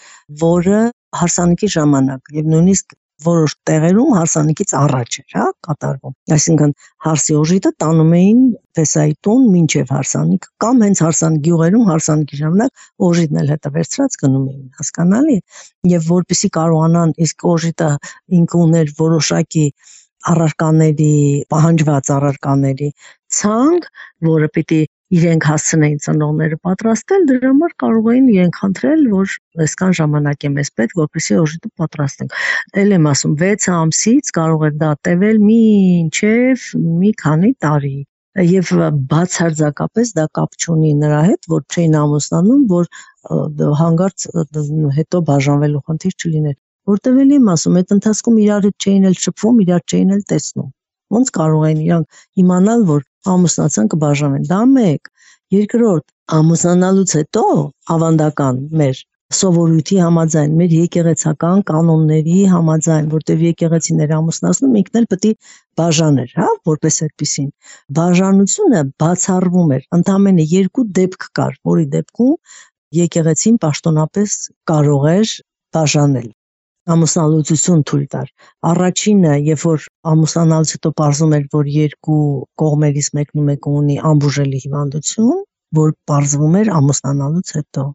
որը հարսանիքի ժամանակ եւ նույնիսկ որոշ տեղերում հարսանիքից առաջ էր, հա, կատարվում։ Այսինքն հարսի օժիտը տանում էին փեսայի տուն մինչև հարսանիք կամ հենց հարսանիք գյուղերում հարսանիքի ժամանակ օժիտն էլ հետը վերցրած գնում էին, հասկանալի։ Եվ որպեսզի կարողանան իսկ օժիտը ինքը ուներ որոշակի առարկաների, պահանջված առարկաների ցանկ, որը պիտի իրենք հասցնեին ծնողները պատրաստել, դրա համար կարող էին իրենք խնդրել, որ այսքան ժամանակ է մեզ պետք, որպեսզի օժիտը պատրաստենք։ Էլ եմ ասում, 6 ամսից կարող է դա տևել մինչև մի քանի տարի։ Եվ բացարձակապես դա կապ չունի նրա հետ, որ չէին ամուսնանում, որ հանկարծ հետո բաժանվելու խնդիր չլիներ։ Որտեւ էլ եմ ասում, այդ ընթացքում իրար հետ չէին էլ շփվում, իրար չէին էլ տեսնում։ Ոնց կարող են իրանք իմանալ, որ ամուսնացան կբաժանվեն։ Դա մեկ։ Երկրորդ, ամուսնանալուց հետո ավանդական մեր սովորույթի համաձայն, մեր եկեղեցական կանոնների համաձայն, որտեղ եկեղեցիները ամուսնացնում, ինքն էլ պետք է բաժաներ, հա, որպես այդպեսին։ Բաժանությունը բացառվում էր, ընդամենը 2 դեպք կար, որի դեպքում եկեղեցին պաշտոնապես կարող էր բաժանել, ամուսնալուծություն թույլ տար։ Առաջինը, երբ որ ամուսնանալուց հետո պարզում էր, որ 2 կողմերից մեկը ունի անբուժելի հիվանդություն, որ պարզվում էր ամուսնանալուց հետո։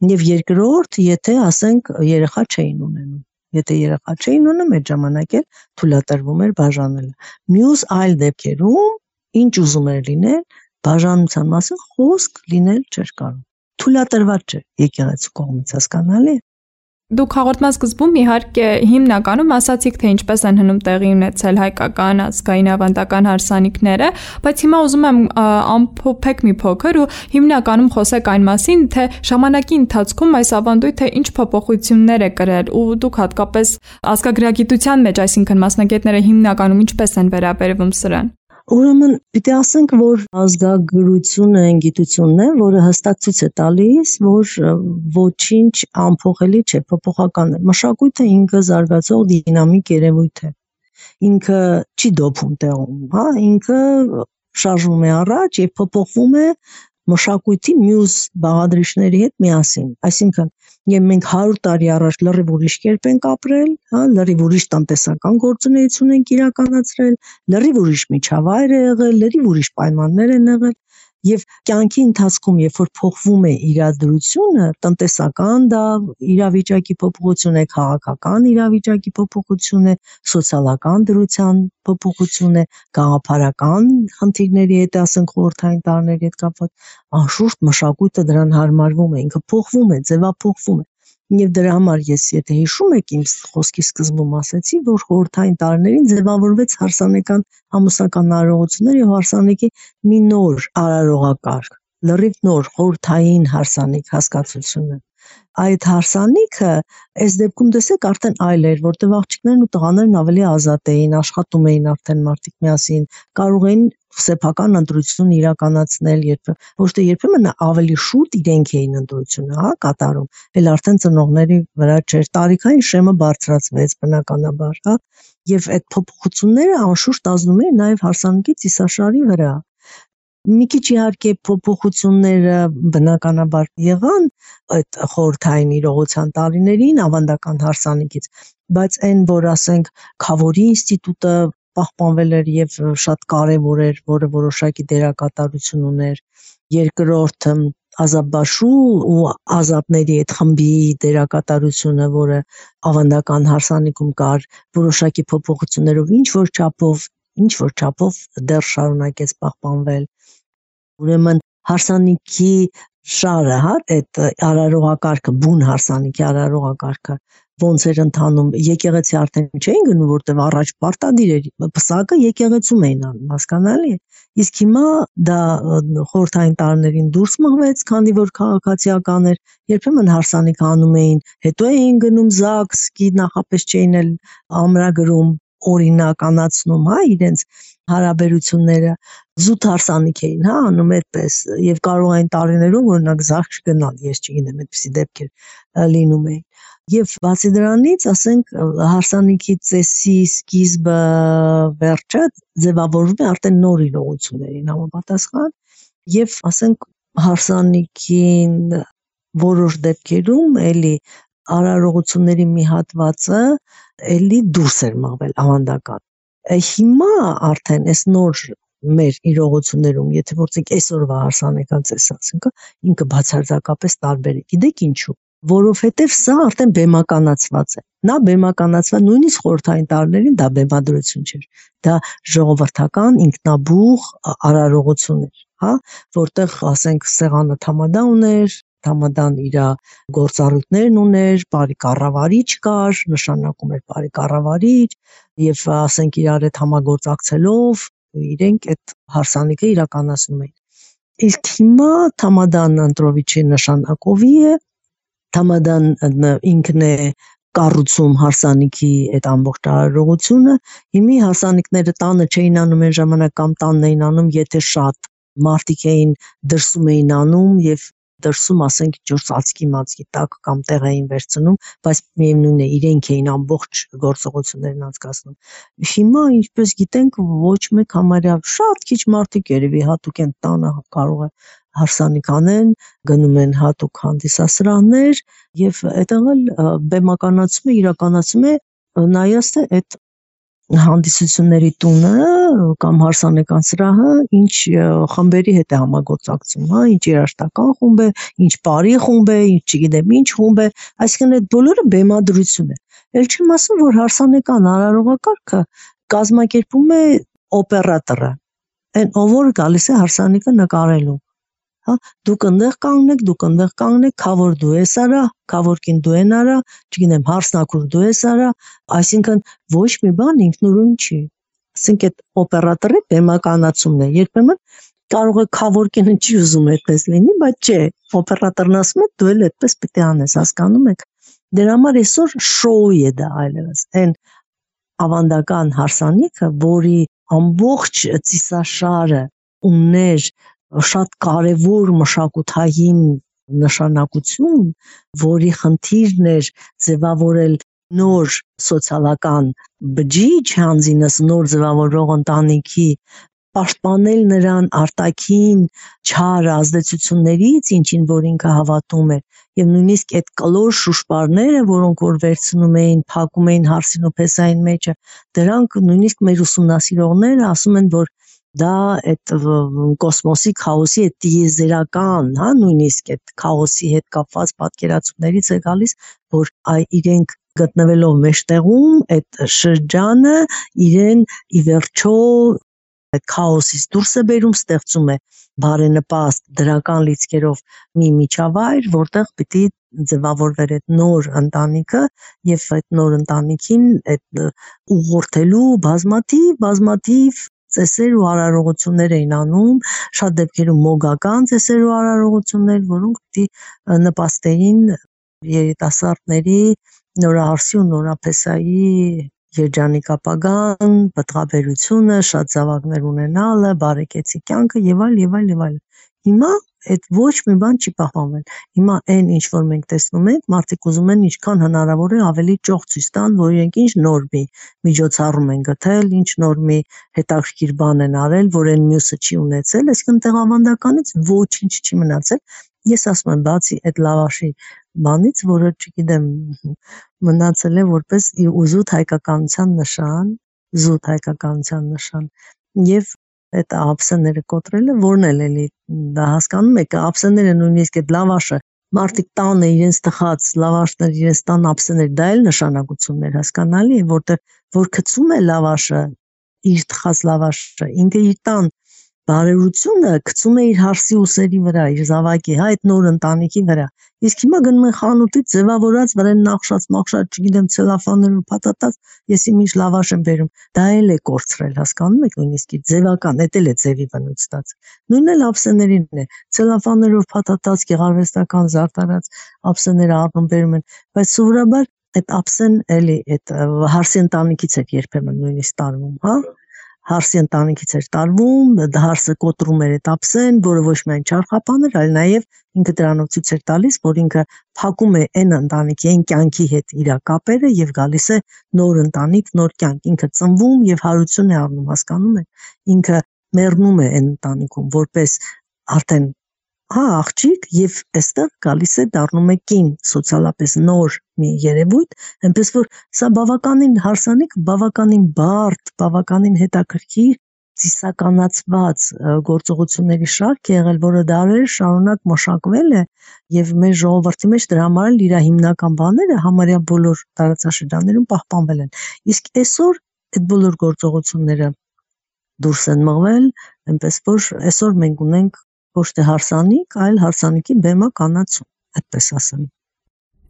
Եվ երկրորդ, եթե ասենք երեխա չէին ունենում։ Եթե երեխա չէին ունենում, այդ ժամանակ էլ թույլատրվում էր բաժանելը։ Մյուս այլ դեպքերում, ինչ ուզում էր լինել, բաժանության մասին խոսք լինել չէր կարող։ Թույլատրված չէ եկեղեցու կողմից, հասկանալի է։ Դուք հաղորդման սկզբում իհարկե հիմնականում ասացիք, թե ինչպես են հնում տեղի ունեցել հայկական ազգային ավանդական հարսանիքները, բայց հիմա ուզում եմ ամփոփեք մի փոքր ու հիմնականում խոսեք այն մասին, թե ժամանակի ընթացքում այս ավանդույթը ինչ փոփոխություններ է կրել ու դուք հատկապես ազգագրագիտության մեջ, այսինքն մասնագետները հիմնականում ինչպես են վերաբերվում սրան։ Ուրեմն պիտի ասենք, որ ազգագրությունը գիտությունն է, որը հստակ ցույց է տալիս, որ ոչինչ անփոխելի չէ, փոփոխական է։ Մշակույթը ինքը զարգացող դինամիկ երևույթ է։ Ինքը չի դոփում տեղում, հա, ինքը շարժվում է առաջ եւ փոփոխվում է մշակույթի մյուս բաղադրիչների հետ միասին։ Այսինքն, եւ մենք 100 տարի առաջ լրիվ ուրիշ կերպ ենք ապրել, հա, լրիվ ուրիշ տնտեսական գործունեություն ենք իրականացրել, լրիվ ուրիշ միջավայր է եղել, լրիվ ուրիշ պայմաններ են եղել, եւ կյանքի ընթացքում, երբ որ փոխվում է իրադրությունը, տնտեսական դա իրավիճակի փոփոխություն է, քաղաքական իրավիճակի փոփոխություն է, սոցիալական դրության փոփոխություն է, գաղափարական խնդիրների հետ, ասենք խորհրդային տարիների հետ կապված, անշուշտ մշակույթը դրան հարմարվում է, ինքը փոխվում է, ձևափոխվում է։ Եվ դրա համար ես, եթե հիշում եք, իմ խոսքի սկզբում ասեցի, որ խորհրդային տարիներին ձևավորվեց հարսանեկան ամուսնական արարողություններ եւ հարսանեկի մի նոր արարողակարգ, լրիվ նոր խորհրդային հարսանիք հասկացությունը։ Այդ հարսանիքը, այս դեպքում տեսեք, արդեն այլ էր, որտեղ աղջիկներն ու տղաներն ավելի ազատ էին, աշխատում էին արդեն մարդիկ միասին, կարող էին սեփական ընտրություն իրականացնել, ոչ թե երբեմն ավելի շուտ իրենք էին ընտրությունը, հա, կատարում, էլ արդեն ծնողների վրա չէր, տարիքային շեմը բարձրացվեց բնականաբար, հա, եւ այդ փոփոխությունները անշուշտ ազդում էին նաեւ հարսանիքի ծիսաշարի վրա։ Մի քիչ իհարկե փոփոխությունները բնականաբար եղան այդ խորհրդային իրողության տարիներին ավանդական հարսանիքից, բայց այն, որ ասենք Քավորի ինստիտուտը պահպանվել էր եւ շատ կարեւոր էր, որը որոշակի դերակատարություն ուներ, երկրորդ Ազատբաշու ու ազատների այդ խմբի դերակատարությունը, որը ավանդական հարսանիքում կար, որոշակի փոփոխություններով ինչ որ չափով դեռ շարունակեց պահպանվել։ Ուրեմն հարսանիքի շարը, հա, այդ արարողակարգը, բուն հարսանիքի արարողակարգը ոնց էր ընթանում, եկեղեցի արդեն չէին գնում, որտեղ առաջ պարտադիր էր, պսակը եկեղեցում էին անում, հասկանալի է։ Իսկ հիմա դա խորհրդային տարիներին դուրս մղվեց, քանի որ քաղաքացիական էր, երբեմն հարսանիք անում էին, հետո էին գնում ԶԱԳՍ-ի, նախապես չէին էլ ամրագրում, օրինականացնում, հա, իրենց հարաբերությունները, զուտ հարսանիք էին, հա, անում այդպես, եւ կարող այն տարիներում օրինակ ԶԱԳՍ չգնալ, ես չգիտեմ, այդպիսի դեպքեր լինում էին։ Եվ բացի դրանից, ասենք, հարսանիքի ծեսի սկիզբը, վերջը ձևավորվում է արդեն նոր իրողություններին համապատասխան, եւ ասենք հարսանիքին որոշ դեպքերում էլի արարողությունների մի հատվածը էլի դուրս էր մղվել ավանդական։ Հիմա արդեն այս նոր մեր իրողություններում, եթե որցենք այսօրվա հարսանեկան ծեսը, ասենք, ինքը բացարձակապես տարբեր է։ Գիտեք ինչու։ Որովհետև սա արդեն բեմականացված է։ Նա բեմականացված նույնիսկ խորհրդային տարիներին դա բեմադրություն չէր։ Դա ժողովրդական ինքնաբուխ արարողություն էր, հա, որտեղ ասենք սեղանը թամադա ուներ, թամադան իր գործառույթներն ուներ, բարի կառավարիչ կար, նշանակում էր բարի կառավարիչ, եւ ասենք իրար հետ համագործակցելով իրենք այդ հարսանիքը իրականացնում էին։ Իսկ հիմա թամադան ընտրովիչի նշանակովի է, թամադան ինքն է կառուցում հարսանիքի այդ ամբողջ արարողությունը, հիմի հարսանիքները տանը չէին անում այն ժամանակ կամ տանն էին անում, եթե շատ մարդիկ էին դրսում էին անում եւ դրսում ասենք ջուր ծածկի տակ կամ տեղ էին վերցնում, բայց միևնույն է իրենք էին ամբողջ գործողություններն անցկացնում։ Հիմա ինչպես գիտենք, ոչ մեկ համարյա շատ քիչ մարդիկ երևի հատուկ են տանը կարող է հարսանիք անեն, գնում են հատուկ հանդիսասրահներ եւ այդտեղ էլ բեմականացում է, իրականացում է նայած թե այդ հանդիսությունների տունը կամ հարսանեկան սրահը ինչ խմբերի հետ է համագործակցում, հա, ինչ երաժշտական խումբ է, ինչ բարի խումբ է, ինչ չգիտեմ ինչ խումբ է, այսինքն այդ բոլորը բեմադրություն է։ Էլ չեմ ասում, որ հարսանեկան արարողակարգը կազմակերպում է օպերատորը, այն ով որ գալիս է հարսանիքը նկարելու։ Հա, դուք այնտեղ կանգնեք, քավոր դու ես արա, քավորքին դու են արա, չգիտեմ, հարսնակուր դու ես արա, այսինքն ոչ մի բան ինքնուրույն չի։ Ասենք այդ օպերատորի բեմականացումն է։ Երբեմն կարող է քավորքինը չի ուզում այդպես լինի, բայց չէ, օպերատորն ասում է դու էլ այդպես պիտի անես, հասկանում եք։ Դրա համար այսօր շոու է դա այլևս։ Այն ավանդական հարսանիքը, որի ամբողջ ծիսաշարը ուներ շատ կարևոր մշակութային նշանակություն, որի խնդիրն էր ձևավորել նոր սոցիալական բջիջ, հանձինս նոր ձևավորող ընտանիքի, պաշտպանել նրան արտաքին չար ազդեցություններից, ինչին որ ինքը հավատում էր, եւ նույնիսկ այդ կլոր շուշպարները, որոնք որ վերցնում էին, փակում էին հարսին ու փեսային մեջը, դրանք նույնիսկ մեր ուսումնասիրողները ասում են, որ դա այդ կոսմոսի քաոսի այդ տիեզերական, հա, նույնիսկ այդ քաոսի հետ կապված պատկերացումներից է գալիս, որ իրենք գտնվելով մեջտեղում այդ շրջանը իրեն ի վերջո այդ քաոսից դուրս է բերում, ստեղծում է բարենպաստ դրական լիցքերով մի միջավայր, որտեղ պիտի ձևավորվեր այդ նոր ընտանիքը եւ այդ նոր ընտանիքին այդ ուղղորդելու բազմաթիվ ծեսեր ու արարողություններ էին անում, շատ դեպքերում մոգական ծեսեր ու արարողություններ, որոնք պիտի նպաստեին երիտասարդների նորահարսի ու նորափեսայի երջանիկ ապագան, պտղաբերությունը, շատ զավակներ ունենալը, բարեկեցիկ կյանքը եւ այլ։ Հիմա այդ ոչ մի բան չի պահպանվել։ Հիմա այն ինչ որ մենք տեսնում ենք, մարդիկ ուզում են ինչքան հնարավոր է ավելի ճոխ ցույց տան, որ իրենք ինչ նոր մի միջոցառում են գտել, ինչ նոր մի հետաքրքիր բան են արել, որ այն մյուսը չի ունեցել, այսինքն տեղավանդականից ոչինչ չի մնացել։ Ես ասում եմ, բացի այդ լավաշի բանից, որը չգիտեմ, մնացել է որպես զուտ հայկականության նշան, եւ այդ ափսեները կոտրելը, որն էլի դա հասկանում եք, ափսեները նույնիսկ այդ լավաշը, մարդիկ տանը իրենց տխած լավաշներ, իրենց տան ափսեներ, դա էլ նշանակություններ, հասկանալի է, որտեղ որ գցում է լավաշը, իր տխած լավաշը, ինքը իր տան բարերությունը գցում է իր հարսի ուսերի վրա, իր զավակի, հա, այդ նոր ընտանիքի վրա։ Իսկ հիմա գնում են խանութից ձևավորած, վրան նախշած, չգիտեմ, ցելոֆաներով փաթաթած, ես ինչ լավաշ եմ բերում, դա էլ է կորցրել, հասկանում եք, նույնիսկ ձևական, դա էլ է ձևի բնույթ ստացել։ Նույնն էլ ափսեներին է, ցելոֆաներով փաթաթած, գեղարվեստական զարդարած ափսեները առնում բերում են, բայց սովորաբար այդ ափսեն էլի այդ հարսի ընտանիքից է երբեմն նույնիսկ տարվում, հա։ Հարսի ընտանիքից էր տարվում, հարսը կոտրում էր այդ ափսեն, որը ոչ միայն չարխապան էր, այլ նաև ինքը դրանով ցույց էր տալիս, որ ինքը փակում է այն ընտանիքի, այն կյանքի հետ իր կապերը եւ գալիս է նոր ընտանիք, նոր կյանք, ինքը ծնվում եւ հարություն է առնում, հասկանում եք, ինքը մեռնում է այն ընտանիքում, որպես արդեն հա աղջիկ եւ այստեղ գալիս է դառնում է կին, սոցիալապես նոր մի երևույթ, այնպես որ սա բավականին հարսանիք, բավականին բարդ, բավականին հետաքրքիր, ծիսականացված գործողությունների շարք է եղել, որը դարեր շարունակ մշակվել է եւ մեր ժողովրդի մեջ դրա համար էլ իր հիմնական բաները համարյա բոլոր տարածաշրջաններում պահպանվել են։ Իսկ այսօր այդ բոլոր գործողությունները դուրս են մղվել, այնպես որ այսօր մենք ունենք ոչ թե հարսանիք, այլ հարսանիքի բեմականացում, այդպես ասեմ։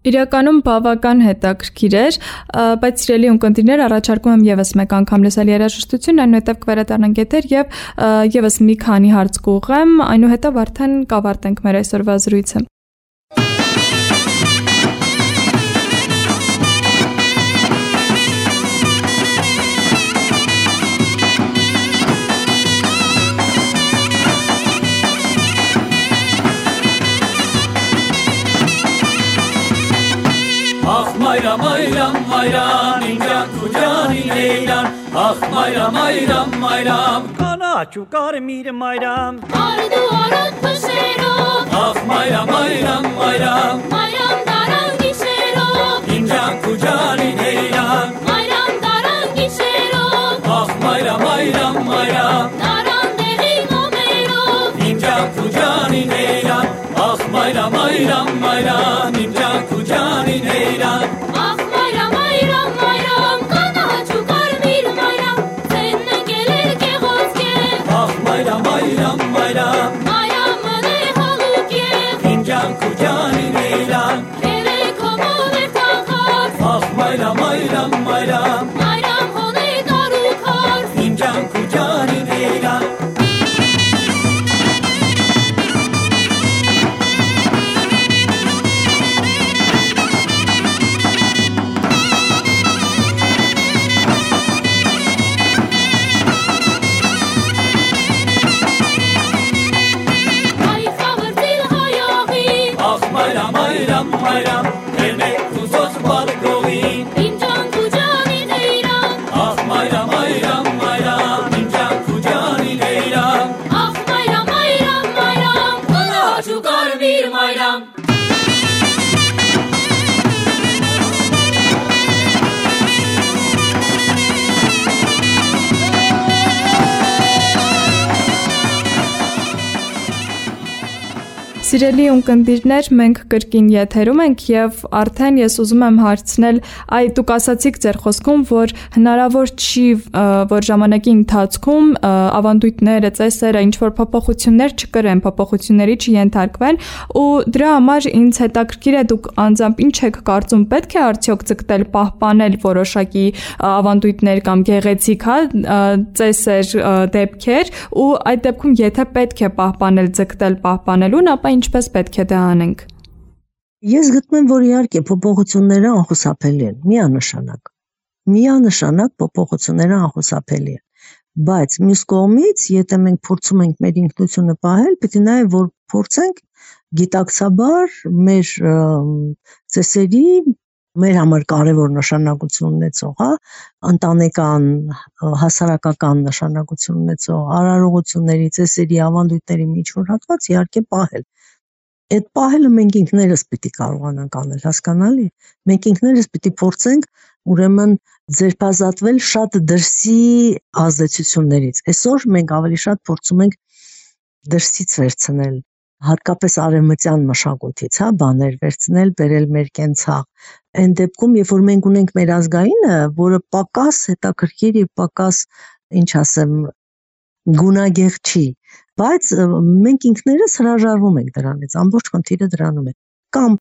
Իրականում բավական հետաքրքիր էր, բայց սիրելի ունկնդիրներ, առաջարկում եմ եւս մեկ անգամ լսել երաժշտություն, այնուհետև կվերադառնանք եթեր եւ եւս մի քանի հարց կուղեմ, այնուհետև արդեն կավարտենք մեր այսօրվա զրույցը։ Ախ մայրամ, մայրամ, մայրամ, իմ ջանք ու ջանին էյրան, ախ մայրամ, մայրամ, մայրամ, կանաչ ու կարմիր մայրամ, Արդու արոտ փշերով, ախ մայրամ, մայրամ, մայրամ, մայրամ դարան գիշերով, իմ ջանք ու ջանին էյրան, մայրամ դարան գիշերով, ախ մայրամ, մայրամ, մայրամ, դարան դեղի մոմերով, իմ ջանք ու ջանին էյրան, ախ մայրամ, մայրամ, մայրամ, իմ ջանք ու ջանին էյրան, ախ մայրամ, մայրամ, մայրամ, կանաչ ու կարմիր մայրամ, ձեն ընկել էր գեղոցքև, ախ մայրամ, մայրամ, մայրամ, մայրամ մնե հալուկև, իմ ջանք ու ջանին էյրան, երեքոմով էր թախած, ախ մայրամ, մայրամ, մայրամ, մայրամ հոն է դարու քարս, իմ ջանք ու ջանին էյրան, այ խավրտիլ հայաղի, ախ մայրամ, մայրամ, մայրամ, երմեք ուզոց բալգողին, իմ ջանք ու ջանին էյրան, ախ մայրամ, մայրամ, մայրամ, իմ ջանք ու ջանին էյրան, ախ մայրամ, մայրամ, մայրամ, կանաչ ու կարմիր մայրամ, Սիրելի ունկնդիրներ, մենք կրկին եթերում ենք եւ արդեն ես ուզում եմ հարցնել, դուք ասացիք ձեր խոսքում, որ հնարավոր չի, որ ժամանակի ընթացքում ավանդույթները, ծեսերը ինչ-որ փոփոխություններ չկրեն, փոփոխությունների չենթարկվեն, ու դրա համար ինձ հետաքրքիր է դուք անձամբ ինչ եք կարծում, պետք է արդյոք ձգտել պահպանել որոշակի ավանդույթներ կամ գեղեցիկ, ծեսեր, դեպքեր, ու այդ դեպքում եթե պետք է պահպանել, ձգտել պահպանելուն, ապա ինչպես պետք է դա անենք։ Ես գտնում եմ, որ իհարկե փոփոխությունները անխուսափելի են, միանշանակ փոփոխությունները անխուսափելի են, բայց մյուս կողմից, եթե մենք փորձում ենք մեր ինքնությունը պահել, պետք է նաև որ փորձենք գիտակցաբար մեր ծեսերի մեր համար կարևոր նշանակություն ունեցող, ընտանեկան, հասարակական նշանակություն ունեցող արարողությունների, ծեսերի, ավանդույթների միջոց հատված իհարկե պահել։ Այդ պահելը մենք ինքներս պիտի կարողանանք անել, հասկանալի։ Մենք ինքներս պիտի փորձենք ուրեմն ձերբազատվել շատ դրսի ազդեցություններից։ Այսօր մենք ավելի շատ փորձում ենք դրսից վերցնել, հատկապես արևմտյան մշակույթից, բաներ վերցնել, բերել մեր կենցաղ։ Այն դեպքում, երբ որ մենք ունենք մեր ազգայինը, որը պակաս հետաքրքիր եւ պակաս, ինչ ասեմ, գունագեղ չի, բայց մենք ինքներս հրաժարվում ենք դրանից, ամբողջ խնդիրը դրանում է, կամ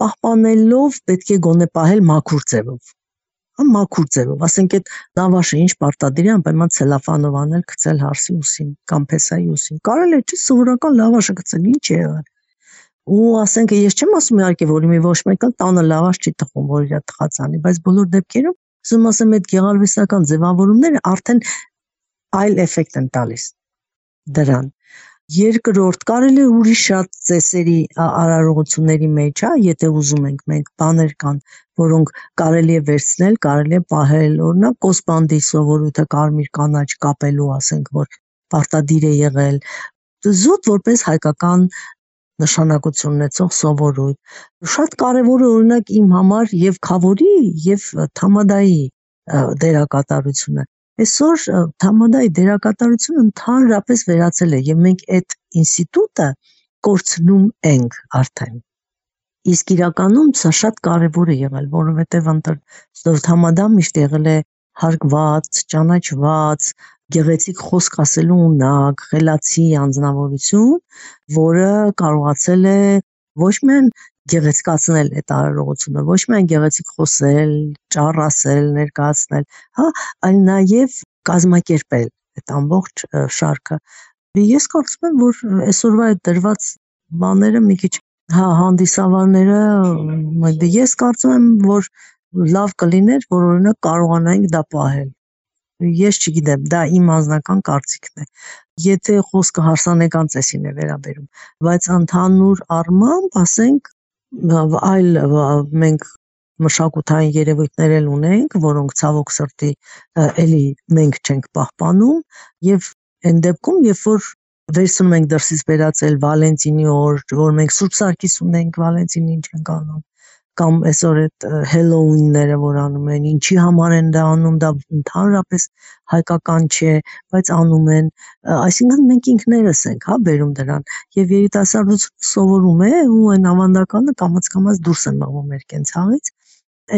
պահպանելով պետք է գոնե պահել մաքուր ձևով, ասենք այդ լավաշը ինչ պարտադիր է անպայման ցելոֆանով անել, գցել հարսի ուսին կամ փեսայի ուսին, կարելի է չէ սովորական լավաշը գցել, ինչ է եղել, ու ասենք ես չեմ ասում իհարկե որ մի ոչ մեկը տանը լավաշ չի թխում, որ իր թխած անի, բայց բոլոր դեպքերում ասում ասեմ այդ գեղարվեստական ձևավորումները արդեն այլ էֆեկտ են տալիս դրան։ Երկրորդ, կարելի է ուրիշ շատ ծեսերի արարողությունների մեջ, եթե ուզում ենք մենք բաներ կան, որոնք կարելի է վերցնել, կարելի է պահել, օրինակ կոսպանդի սովորույթը կարմիր կանաչ կապելու, ասենք, որ պարտադիր է եղել, զուտ որպես հայկական նշանակություն ունեցող սովորույթ։ Շատ կարևոր է օրինակ իմ համար եւ քավորի եւ թամադայի դերակատարությունը։ Այսօր թամադայի դերակատարությունը ընդհանրապես վերացել է եւ մենք այդ ինստիտուտը կորցնում ենք արդեն։ Իսկ իրականում սա շատ կարևոր է եղել, որովհետեւ թամադան միշտ եղել է հարգված, ճանաչված, գեղեցիկ խոսք ասելու ունակ, խելացի անձնավորություն, որը կարողացել է ոչ միայն գեղեցկացնել այդ արարողությունը, ոչ միայն գեղեցիկ խոսել, ճառ ասել, ներկայացնել, այլ նաև կազմակերպել այդ ամբողջ շարքը։ Ես կարծում եմ, որ այսօրվա այդ դրված բաները մի քիչ հանդիսավարները, ես կարծում եմ, որ լավ կլիներ, որ օրինակ կարողանայինք դա պահել։ Ես չգիտեմ, դա իմ անձնական կարծիքն է։ Եթե խոսքը հարսանեկան ծեսին է վերաբերում, բայց ընդհանուր առմամբ, ասենք, այլ մենք մշակութային երևույթներ էլ ունենք, որոնք ցավոք սրտի էլի մենք չենք պահպանում եւ այն դեպքում, երբ որ վերցնում ենք դրսից բերածել Վալենտինի օր, որ մենք Սուրբ Սարգիս ունենք, Վալենտինին չենք անում, կամ այսօր այդ Հելլոուինները, որ անում են, ինչի համար են դա անում, դա ընդհանրապես հայկական չէ, բայց անում են, այսինքն մենք ինքներս ենք, բերում դրան, եւ երիտասարդությունը սովորում է ու այն ավանդականը կամաց դուրս է մղվում մեր կենցաղից,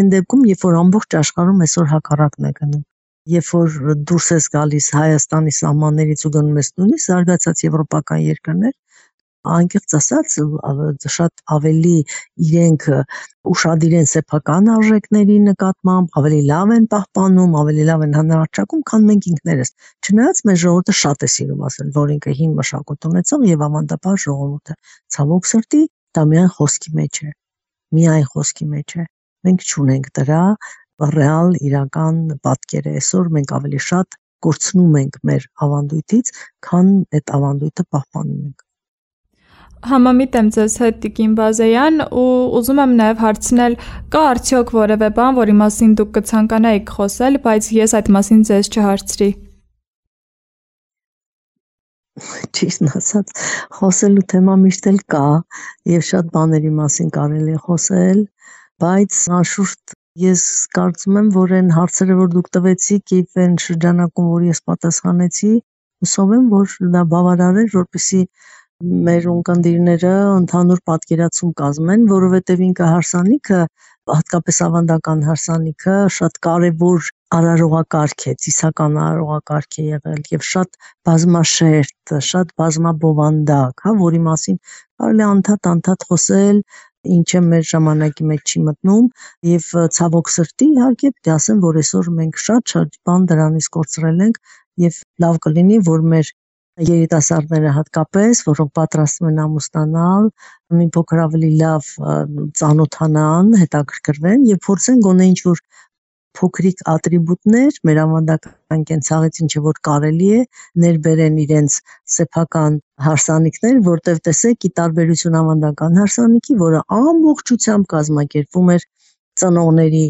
այն դեպքում, երբ որ ամբողջ աշխարհում այսօր հակառակն է գնում, երբ որ դուրս ես գալիս Հայաստանի սահմաններից ու գնում ես նույնիսկ զարգացած եվրոպական երկրներ, անկեղծ ասած շատ ավելի իրենք ուշադիր են սեփական արժեքների նկատմամբ, ավելի լավ են պահպանում, ավելի լավ են հանրաճակում, քան մենք ինքներս։ Չնայած մեր ժողովուրդը շատ է սիրում ասել, որ ինքը հին մշակույթ ունեցող եւ ավանդապար ժողովուրդ է։ Ցավոք սրտի դա միայն խոսքի մեջ է։ Միայն խոսքի մեջ է։ Մենք չունենք դրա ռեալ իրական պատկերը։ Այսօր մենք ավելի շատ կորցնում ենք մեր ավանդույթից, քան այդ ավանդույթը պահպանում ենք։ Համամիտ եմ ձեզ հետ Տիկին Բազեյան ու ուզում եմ նաև հարցնել, կա արդյոք որևէ բան, որի մասին դուք կցանկանայիք խոսել, բայց ես այդ մասին ձեզ չհարցրի։ Ճիշտն ասած, խոսելու թեմա միշտ էլ կա եւ շատ բաների մասին կարելի է խոսել, բայց անշուշտ ես կարծում եմ, որ այն հարցերը, որ դուք տվեցիք եւ այն շրջանակում, որ ես պատասխանեցի, հուսով եմ, որ դա բավարար է, որպեսզի մեր ունկնդիրները ընդհանուր պատկերացում կազմեն, որովհետև ինքը հարսանիքը, հատկապես ավանդական հարսանիքը, շատ կարևոր արարողակարգ է, ծիսական արարողակարգ է եղել եւ շատ բազմաշերտ, շատ բազմաբովանդակ, որի մասին կարելի անդադ խոսել, ինչը մեր ժամանակի մեջ չի մտնում եւ ցավոք սրտի իհարկե պետք է ասեմ, որ այսօր մենք շատ բան դրանից կորցրել ենք եւ լավ կլինի, որ մեր երիտասարդները հատկապես, որոնք պատրաստվում են ամուսնանալ, մի փոքր ավելի լավ ծանոթանան, հետաքրքրվեն եւ փորձեն գոնե ինչ-որ փոքրիկ ատրիբուտներ մեր ավանդական կենցաղից ինչը որ կարելի է ներբերեն իրենց սեփական հարսանիքներ, որտեղ տեսեք ի տարբերություն ավանդական հարսանիքի, որը ամբողջությամբ կազմակերպվում էր ծնողների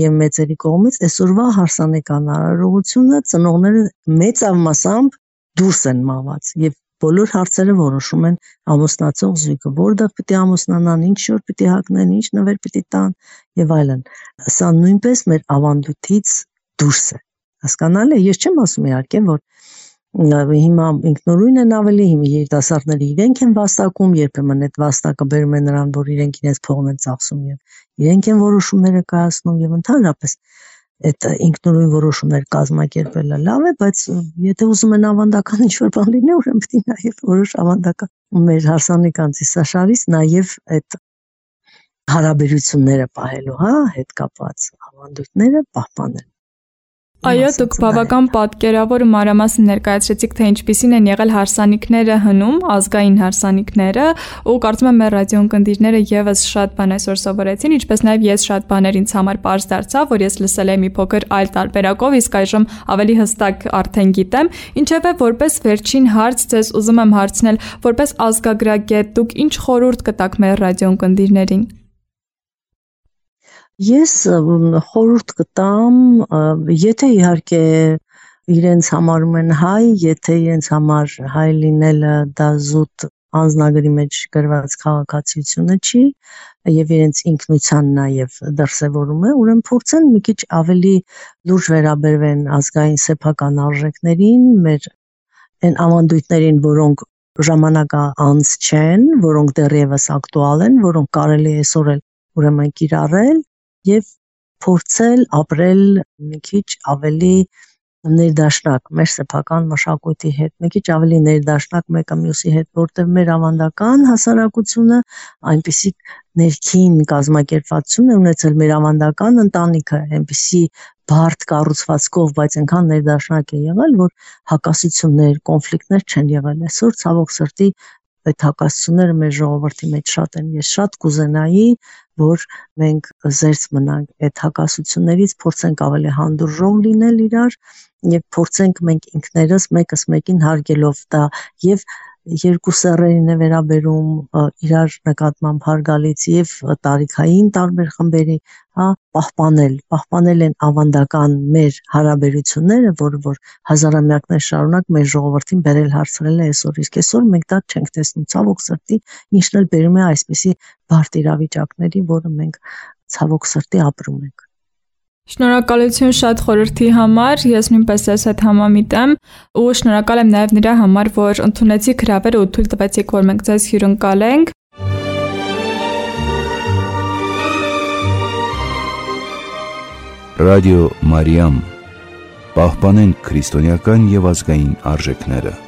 եւ մեծերի կողմից, այսօրվա հարսանեկան արարողությունը ծնողները մեծավ մասամբ դուրս են մաղված եւ բոլոր հարցերը որոշում են ամուսնացող զույգը, որտեղ պիտի ամուսնանան, ինչ շոր պիտի հագնեն, ինչ նվեր պիտի տան եւ այլն։ Սա նույնպես մեր ավանդույթից դուրս է։ Հասկանալի է, ես չեմ ասում իհարկե, որ հիմա ինքնուրույն են ավելի, հիմա երիտասարդները իրենք են վաստակում, երբեմն այդ վաստակը բերում է նրան, որ իրենք իրենց փողն են ծախսում եւ իրենք են որոշումները կայացնում եւ ընդհանրապես այդ ինքնուրույն որոշումներ կազմակերպելը լավ է, բայց եթե ուզում են ավանդական ինչ-որ բան լինի, ուրեմն պետք է նաև որոշ ավանդական մեր հարսանեկան ծիսաշարից նաև այդ հարաբերությունները պահելու, հետ կապված ավանդույթները պահպանել։ Այո, դուք բավական պատկերավոր ու մանրամասն ներկայացրեցիք, թե ինչպիսին են եղել հարսանիքները հնում, ազգային հարսանիքները, ու կարծում եմ մեր ռադիոընկերները եւս շատ բան այսօր սովորեցին, ինչպես նաեւ ես շատ բաներ ինձ համար པարզ դարձավ, որ ես լսել եմ մի փոքր այլ տարբերակով, իսկ այժմ ավելի հստակ արդեն գիտեմ, ինչևէ որպես վերջին հարց ձեզ ուզում եմ հարցնել, որպես ազգագրագետ դուք ինչ խորհուրդ կտաք մեր ռադիոընկերներին։ Ես խորհուրդ կտամ, եթե իհարկե իրենց համարում են հայ, եթե իրենց համար հայ լինելը դա զուտ անձնագրի մեջ գրված քաղաքացիությունը չի եւ իրենց ինքնության նաեւ դրսեւորում է, ուրեմն փորձեն մի քիչ ավելի լուրջ վերաբերվեն ազգային սեփական արժեքներին, մեր այն ավանդույթներին, որոնք ժամանակահանց չեն, որոնք դեռևս ակտուալ են, որոնք կարելի է այսօր էլ ուրեմն կիրառել եւ փորձել ապրել մի քիչ ավելի ներդաշնակ մեր սեփական մշակույթի հետ, մի քիչ ավելի ներդաշնակ մեկը մյուսի հետ, որտեղ մեր ավանդական հասարակությունը այնպիսի ներքին կազմակերպվածություն է ունեցել, մեր ավանդական ընտանիքը այնպիսի բարդ կառուցվածքով, բայց այնքան ներդաշնակ է եղել, որ հակասություններ, կոնֆլիկտներ չեն եղել։ Այսօր ցավոք սրտի այդ հակասությունները մեր ժողովրդի մեջ շատ են։ Ես շատ կուզենայի, որ մենք զերծ մնանք այդ հակասություններից, փորձենք ավելի հանդուրժող լինել իրար եւ փորձենք մենք ինքներս մեկս մեկին հարգելով դա եւ երկու սեռերին է վերաբերում իրար նկատմամբ հարգալից եւ տարիքային տարբեր խմբերի, պահպանել են ավանդական մեր հարաբերությունները, որ հազարամյակներ շարունակ մեր ժողովրդին բերել հարցրել է այսօր, իսկ այսօր մենք դա չենք տեսնում, ցավոք սրտի, ինչն էլ բերում է այսպիսի բարդ իրավիճակների, որը մենք ցավոք սրտի ապրում ենք։ Շնորհակալություն շատ խորհրդի համար, ես նույնպես ես հետ համամիտ եմ ու շնորհակալ եմ նաև նրա համար, որ ընդունեցիք հրավերը ու թույլ տվեցիք, որ մենք ձեզ հյուրընկալենք։ Ռադիո Մարիամ, պահպանենք քրիստոնեական եւ ազգային արժեքները։